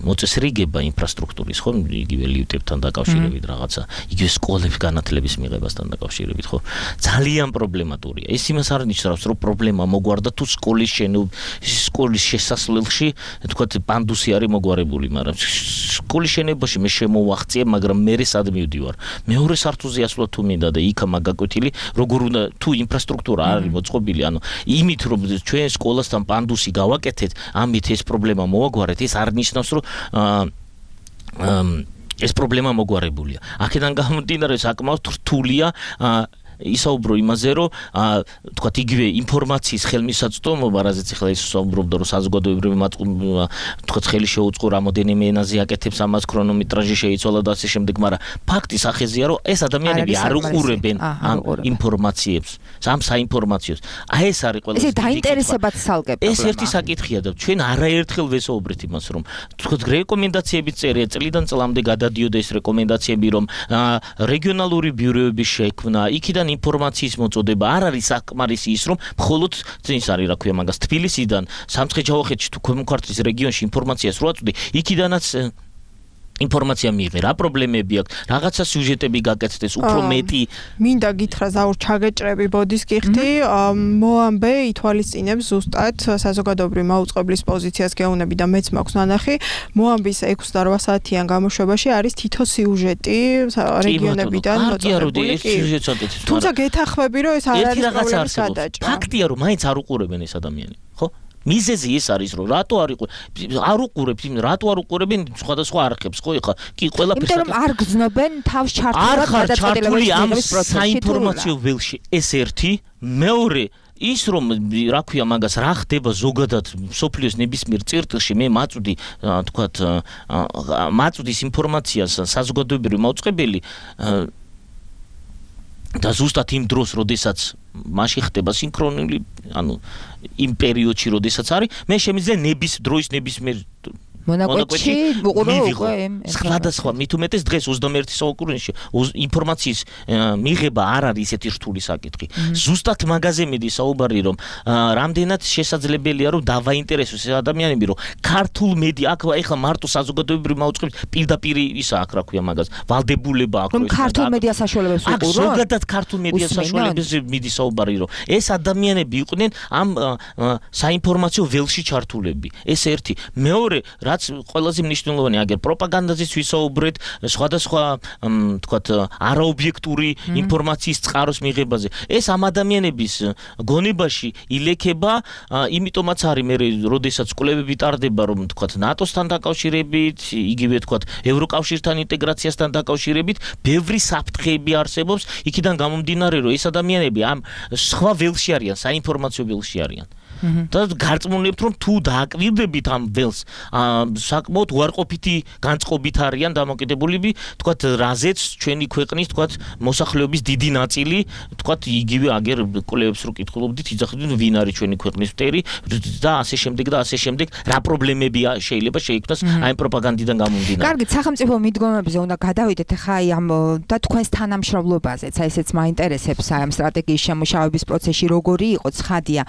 მოწესრიგება ინფრასტრუქტურის ხო იგივე ლიფტებთან დაკავშირებით რაღაცა იგივე სკოლების განათლების მიღებასთან დაკავშირებით ხო ძალიან პრობლემატურია ეს იმას არ ნიშნავს რომ პრობლემა მოგვარდა თუ სკოლის შესასვლელში თქვა პანდუსი არის მოგვარებული მაგრამ სკოლის შენობაში მე შემოვაღწია მაგრამ მე სად მივდივარ მეორე სართულზე ასვლა თუ მინდა და იქა მაგაკვეთილი როგორ უნდა თუ ინფრასტრუქტურა არის მოწყობილი ანუ იმით რომ ჩვენ სკოლასთან პანდუსი გავაკეთეთ ამით ეს პრობლემა მოაგვარეთ ეს არ ნიშნავს რომ ეს პრობლემა მოგვარებულია აქედან გამომდინარე საკმაოდ რთულია ისაუბრო იმაზე რომ თქვა იგივე ინფორმაციის ხელმისაწვდომობა რაზეც ახლა ის საუბრობდა რომ საზოგადოებრივი მატყუბრობა თქვა ხელი შეუწყო რამოდენიმე ენაზე აკეთებს ამას ქრონომეტრაჟი შეიცვალა და ასე შემდეგ მაგრამ ფაქტი სახეზეა რომ ეს ადამიანები არ უყურებენ ამ ინფორმაციებს ამ საინფორმაციოს აი ეს არის ყველა ეს დაინტერესებად სალკე პრობლემა ეს ერთი საკითხია და ჩვენ არაერთხელ ვესაუბრეთ იმას რომ თქვა რეკომენდაციები წერია წლიდან წლამდე გადადიოდა ეს რეკომენდაციები რომ რეგიონალური ბიუროების შექმნა იქიდან ინფორმაციის მოწოდება არ არის საკმარისი ის რომ მხოლოდ ის არის რა ქვია მაგას თბილისიდან სამცხე-ჯავახეთში თუ ქვემო-ქართლის რეგიონში ინფორმაციას რო აწვდი იქიდანაც ინფორმაცია მიიღე რა პრობლემები აქვს რაღაცა სიუჟეტები გაკეთდეს უფრო მეტი მინდა გითხრა ზაურ ჩაგეჭრები ბოდის გიხდი მოამბე ითვალისწინებს ზუსტად საზოგადოებრივი მაუწყებლის პოზიციას გეუბნები და მეც მაქვს ნანახი მოამბის 6 და 8 საათიან გამოშვებაში არის თითო სიუჟეტი რეგიონებიდან მოწოდებული თუმცა გეთახმები რომ ეს არ არის პრობლემის გადაჭრა ფაქტია რომ მაინც არ უყურებენ ეს ადამიანები ხო მიზეზი ეს არის რომ რატო არ უყურებენ სხვადასხვა არხებს ხო ეხა კი ყველაფერს იმიტომ რომ არ გზნობენ თავს ჩართულად გადაწყვეტილებების პროცესში საინფორმაციო ველში ეს ერთი მეორე ის რომ რა ქვია მაგას რა ხდება ზოგადად სოფლიოს ნებისმიერ წერტილში მე მაწვდი თქვათ მაწვდის ინფორმაციას საზოგადოებრივი მაუწყებელი და ზუსტად იმ დროს როდესაც მასში ხდება სინქრონული ანუ იმ პერიოდში როდესაც არის მე შემიძლია ნებისმიერ მონაკვეთში უყურო უკვე სხვადასხვა მით უმეტეს დღეს 21 საუკუნეში ინფორმაციის მიღება არ არის ისეთი რთული საკითხი ზუსტად მაგაზე მიდი საუბარი რომ რამდენად შესაძლებელია რომ დავაინტერესოს ეს ადამიანები რომ ქართულ მედია აქ ეხლა მარტო საზოგადოებრივი მაუწყებლობის პირდაპირ ისა აქ რა ქვია მაგას ვალდებულება აქვს რომ ქართულ მედია საშუალებებს უყურო ზოგადად ქართულ მედია საშუალებებს მიდი საუბარი რომ ეს ადამიანები იყვნენ ამ საინფორმაციო ველში ჩართულები ეს ერთი მეორე რაც ყველაზე მნიშვნელოვანი აგერ პროპაგანდაზეც ვისაუბრეთ სხვადასხვა თქვათ არაობიექტური ინფორმაციის წყაროს მიღებაზე ეს ამ ადამიანების გონებაში ილექება იმიტომაც არის მე როდესაც კვლევები ტარდება რომ თქვათ ნატოსთან დაკავშირებით იგივე თქვათ ევროკავშირთან ინტეგრაციასთან დაკავშირებით ბევრი საფრთხეები არსებობს იქიდან გამომდინარე რომ ეს ადამიანები ამ სხვა ველში არიან საინფორმაციო ველში არიან და გარწმუნებთ რომ თუ დააკვირდებით ამ ველს საკმაოდ უარყოფითი განწყობით არიან დამოკიდებულები თქვათ რაზეც ჩვენი ქვეყნის თქვათ მოსახლეობის დიდი ნაწილი თქვათ იგივე აგერ კვლევებს რო კითხულობდით იძახდნენ ვინ არის ჩვენი ქვეყნის მტერი და ასე შემდეგ რა პრობლემები შეიძლება შეიქმნას აი პროპაგანდიდან გამომდინარე კარგი სახელმწიფო მიდგომებზე უნდა გადავიდეთ ახლა აი ამ და თქვენს თანამშრომლობაზეც აი ესეც მაინტერესებს აი ამ სტრატეგიის შემუშავების პროცესში როგორი იყო ცხადია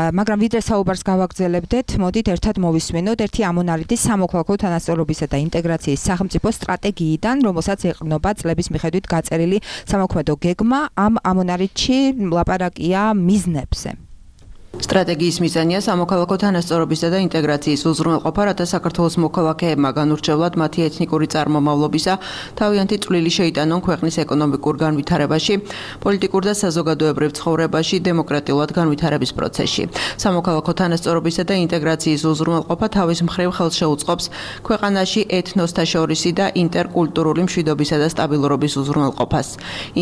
მაგრამ ვიდრე საუბარს გავაგრძელებდეთ მოდით ერთად მოვისმენოთ ერთი ამონარიდის სამოქალაქო თანასწორობისა და ინტეგრაციის სახელმწიფო სტრატეგიიდან რომელსაც ეყრდნობა წლების მიხედვით გაწერილი სამოქმედო გეგმა ამ ამონარიდში ლაპარაკია მიზნებზე სტრატეგიის მიზანია სამოქალაქო თანასწორობისა და ინტეგრაციის უზრუნველყოფა, რათა საქართველოს მოქალაქეებმა განურჩევლად მათი ეთნიკური წარმომავლობისა თავიანთი წვლილი შეიტანონ ქვეყნის ეკონომიკურ განვითარებაში, პოლიტიკურ და საზოგადოებრივ ცხოვრებაში, დემოკრატიულად განვითარების პროცესში. სამოქალაქო თანასწორობისა და ინტეგრაციის უზრუნველყოფა თავის მხრივ ხელს შეუწყობს ქვეყანაში ეთნოსთა შორისი და ინტერკულტურული მშვიდობისა და სტაბილურობის უზრუნველყოფას.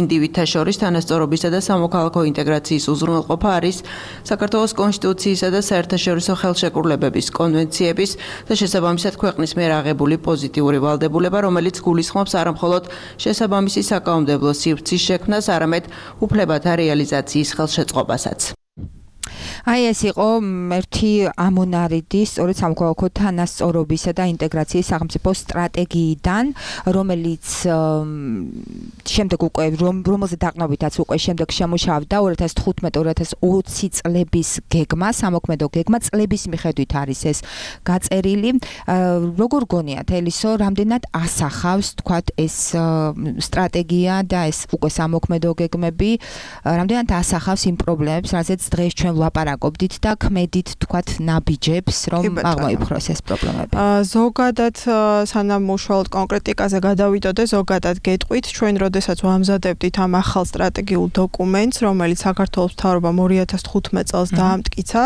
ინდივიდთა შორის თანასწორობისა და სამოქალაქო ინტეგრაციის უზრუნველყოფა არის საქართველოს კონსტიტუციისა და საერთაშორისო ხელშეკრულებების, კონვენციების და შესაბამისად ქვეყნის მიერ აღებული პოზიტიური ვალდებულება, რომელიც გულისხმობს არამხოლოდ შესაბამისი საკანონმდებლო სივრცის შექმნას, არამედ უფლებათა რეალიზაციის ხელშეწყობასაც. აი ეს იყო ერთი ამონარიდი სწორედ სამოქალაქო თანასწორობისა და ინტეგრაციის სახელმწიფო სტრატეგიიდან, რომელიც შემდეგ უკვე რომელზე დაყრდნობითაც უკვე შემდეგ შემუშავდა 2015-2020 წლების გეგმა, სამოქმედო გეგმა, წლების მიხედვით არის ეს გაწერილი. როგორ გონიათ ელისო, რამდენად ასახავს თქვათ ეს სტრატეგია და ეს უკვე სამოქმედო გეგმები, რამდენად ასახავს იმ პრობლემებს, რაზეც დღეს ჩვენ ვლაპარაკობდით და ქმედით თქვათ ნაბიჯებს, რომ აღმოიფხვროს ეს პრობლემები. ზოგადად სანამ უშუალოდ კონკრეტიკაზე გადავიდოდე, ზოგადად გეტყვით, ჩვენ როდესაც ვამზადებდით ამ ახალ სტრატეგიულ დოკუმენტს, რომელიც საქართველოს მთავრობამ 2015 წელს დაამტკიცა,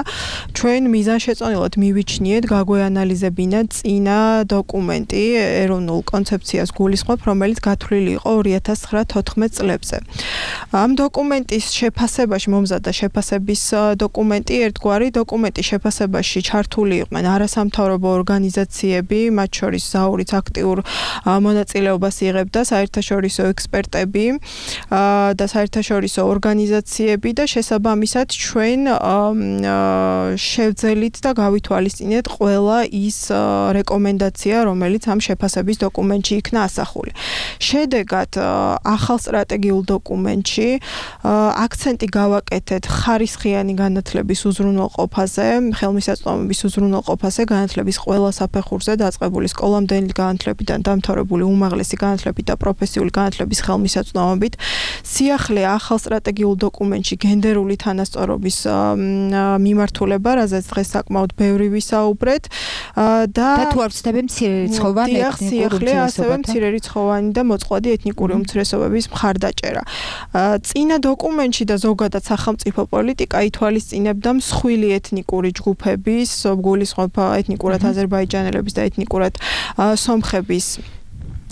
ჩვენ მიზანშეწონილად მივიჩნიეთ გაგვეანალიზებინა წინა დოკუმენტი ეროვნულ კონცეფციას გულისხმობ, რომელიც გათვლილი იყო 2009-14 წლებზე. ამ დოკუმენტის შეფასებაში მომზადდა შეფასების დოკუმენტი, ერთგვარი დოკუმენტის შეფასებაში ჩართული იყვნენ არასამთავრობო ორგანიზაციები, მათ შორის ზაურიც აქტიურ მონაწილეობას იღებდა საერთაშორისო ექსპერტები და საერთაშორისო ორგანიზაციები და შესაბამისად ჩვენ შევძელით და გავითვალისწინეთ ყველა ის რეკომენდაცია, რომელიც ამ შეფასების დოკუმენტში იქნა ასახული. შედეგად ახალ სტრატეგიულ დოკუმენტში აქცენტი გავაკეთეთ ხარისხიანი განათლების უზრუნველყოფაზე, ხელმისაწვდომობის უზრუნველყოფაზე, განათლების ყველა საფეხურზე დაწყებული სკოლამდელი განათლებიდან დამთავრებული უმაღლესი განათლებით და პროფესიული განათლების ხელმისაწვდომობით. სიახლე ახალ სტრატეგიულ დოკუმენტში გენდერული თანასწორობის მიმართულება, რაზეც დღეს საკმაოდ ბევრი ვისაუბრეთ და თუ არ ვცდები მცირერიცხოვანი ეთნიკური ასევე მცირერიცხოვანი და მოწყვლადი ეთნიკური უმცირესობების მხარდაჭერა. წინა დოკუმენტში და ზოგადად სახელმწიფო პოლიტიკა ითვალისწინებდა მსხვილი ეთნიკური ჯგუფების, გულისხმობ ეთნიკურად აზერბაიჯანელების და ეთნიკურად სომხების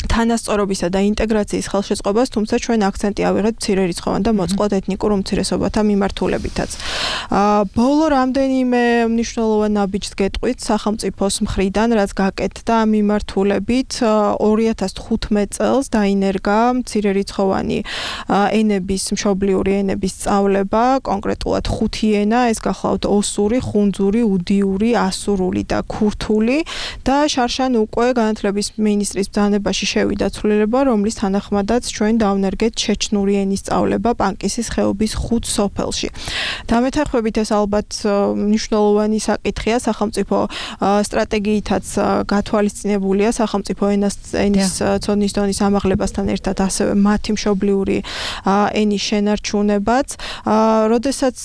თანასწორობისა და ინტეგრაციის ხელშეწყობას, თუმცა ჩვენ აქცენტი ავიღეთ მცირერიცხოვან და მოწყვლად ეთნიკურ უმცირესობათა მიმართულებითაც. ბოლო რამდენიმე მნიშვნელოვან ნაბიჯს გეტყვით სახელმწიფოს მხრიდან, რაც გაკეთდა ამ მიმართულებით. 2015 წელს დაინერგა მცირერიცხოვანი ენების, მშობლიური ენების სწავლება, კონკრეტულად 5 ენა, ეს გახლავთ ოსური, ხუნძური, უდიური, ასურული და ქურთული და შარშან უკვე განათლების მინისტრის ბრძანებაში შევიდა ცვლილება, რომლის თანახმადაც ჩვენ დავნერგეთ ჩეჩნური ენის სწავლება პანკისის ხეობის 5 სოფელში. დამეთანხმებით ეს ალბათ მნიშვნელოვანი საკითხია, სახელმწიფო სტრატეგიითაც გათვალისწინებულია სახელმწიფო ენის ცოდნის დონის ამაღლებასთან ერთად ასევე მათი მშობლიური ენის შენარჩუნებაც. როდესაც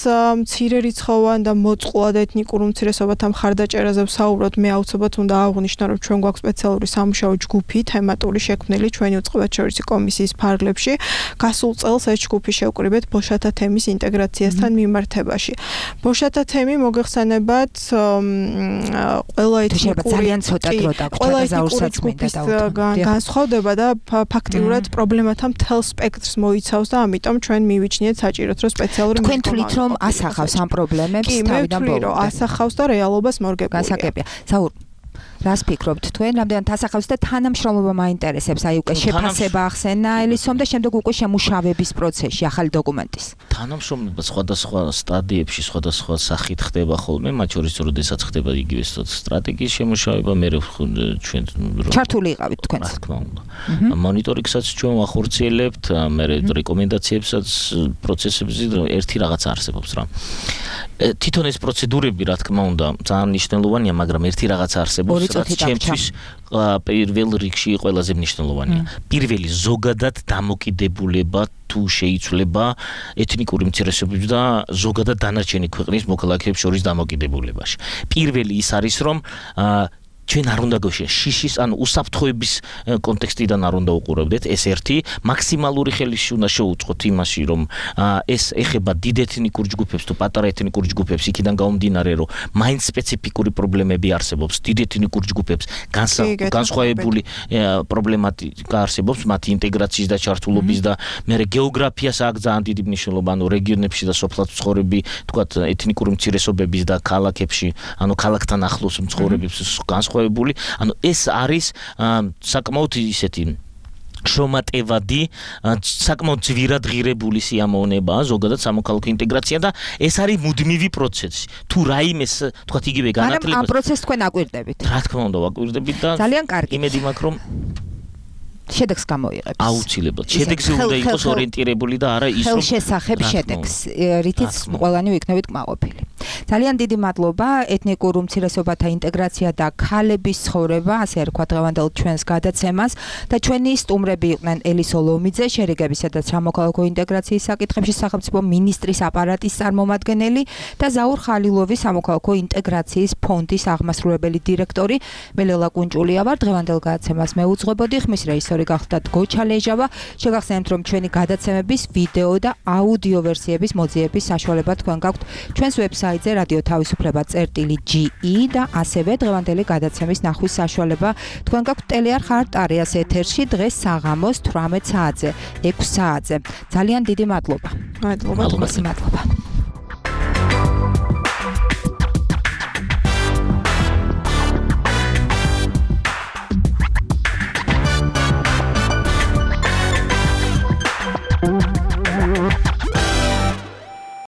მცირერიცხოვან და მოწყვლად ეთნიკურ უმცირესობათა მხარდაჭერაზე ვსაუბრობთ, მე აუცილებლად უნდა აღვნიშნო, რომ ჩვენ გვაქვს სპეციალური სამუშაო ჯგუფი თემატური შექმნილი ჩვენი უწყებათშორისი კომისიის ფარგლებში. გასულ წელს ეს ჯგუფი შევკრიბეთ ბოშათა თემის ინტეგრაციასთან მიმართებაში. ბოშათა თემი მოგეხსენებათ ყველა ეთნიკური ჯგუფის განსხვავდება და ფაქტიურად პრობლემათა მთელ სპექტრს მოიცავს და ამიტომ ჩვენ მივიჩნიეთ საჭიროდ რომ სპეციალური თქვენ თვლით რომ ასახავს ამ პრობლემებს თავიდან ბოლომდე? ასახავს და რეალობას მორგებულია. გასაგებია. საურ რას ფიქრობთ თქვენ, რამდენად ასახავს და თანამშრომლობა მაინტერესებს, აი უკვე შეფასება ახსენა ელისომ და შემდეგ უკვე შემუშავების პროცესში ახალი დოკუმენტის. თანამშრომლობა სხვადასხვა სტადიებში, სხვადასხვა სახით ხდება ხოლმე, მათ შორის როდესაც ხდება იგივე სტრატეგიის შემუშავება, მე ჩვენ ჩართული იყავით თქვენ. რა თქმა უნდა. მონიტორინგსაც ჩვენ ვახორციელებთ, მე რეკომენდაციებსაც პროცესებზე ერთი რაღაც არსებობს რა. თვითონ ეს პროცედურები, რა თქმა უნდა, ძალიან მნიშვნელოვანია, მაგრამ ერთი რაღაც არსებობს, მიწოთი ჩემთვის პირველ რიგში ყველაზე მნიშვნელოვანია. პირველი ზოგადად დამოკიდებულება თუ შეიცვლება ეთნიკური უმცირესობების და ზოგადად დანარჩენი ქვეყნის მოქალაქეებს შორის დამოკიდებულებაში. პირველი ის არის, რომ ჩვენ არ უნდა გვეშია შიშის ან უსაფრთხოების კონტექსტიდან არ უნდა უყურებდეთ ეს ერთი მაქსიმალური ხელის უნდა შეუწყოთ იმაში რომ ეს ეხება დიდ ეთნიკურ ჯგუფებს თუ პატარა ეთნიკურ ჯგუფებს იქიდან გამომდინარე რომ მაინც სპეციფიკური პრობლემები არსებობს დიდ ეთნიკურ ჯგუფებს განსხვავებული პრობლემატიკა არსებობს მათი ინტეგრაციის და ჩართულობის და მე გეოგრაფიას აქვს ძალიან დიდი მნიშვნელობა ანუ რეგიონებში და სოფლად მცხოვრები თქვათ ეთნიკური უმცირესობების და ქალაქებში ანუ ქალაქთან ახლოს მცხოვრებებს ანუ ეს არის საკმაოდ ისეთი შრომატევადი საკმაოდ ძვირად ღირებული სიამოვნებაა ზოგადად სამოქალაქო ინტეგრაცია და ეს არის მუდმივი პროცესი თუ რაიმეს თქვათ იგივე განათლებას ამ პროცესს თქვენ აკვირდებით რა თქმა უნდა ვაკვირდებით და ძალიან კარგი იმედი მაქვს რომ შედეგს გამოიღებს. აუცილებლად. შედეგზე უნდა იყოს ორიენტირებული და არა ის რომ ხელშესახებ შედეგს, რითიც ყველანი ვიქნებით კმაყოფილი. ძალიან დიდი მადლობა ეთნიკურ უმცირესობათა ინტეგრაცია და ქალების ცხოვრება, ასე ერქვა დღევანდელ ჩვენს გადაცემას და ჩვენი სტუმრები იყვნენ ელისო ლომიძე, შერიგებისა და სამოქალაქო ინტეგრაციის საკითხებში სახელმწიფო მინისტრის აპარატის წარმომადგენელი და ზაურ ხალილოვი სამოქალაქო ინტეგრაციის ფონდის აღმასრულებელი დირექტორი. მე ლელა კუნჭულია ვარ, დღევანდელ გადაცემას მე უძღვებოდი, ხმის რეჟისორი გახდათ გოჩა ლეჟავა. შეგახსენებთ რომ ჩვენი გადაცემების ვიდეო და აუდიო ვერსიების მოძიების საშუალება თქვენ გაქვთ ჩვენს ვებსაიტზე radio.tv.ge და ასევე დღევანდელი გადაცემის ნახვის საშუალება თქვენ გაქვთ ტელეარხ არტარიას ეთერში დღეს საღამოს 18 საათზე 6 საათზე ძალიან დიდი მადლობა. მადლობა.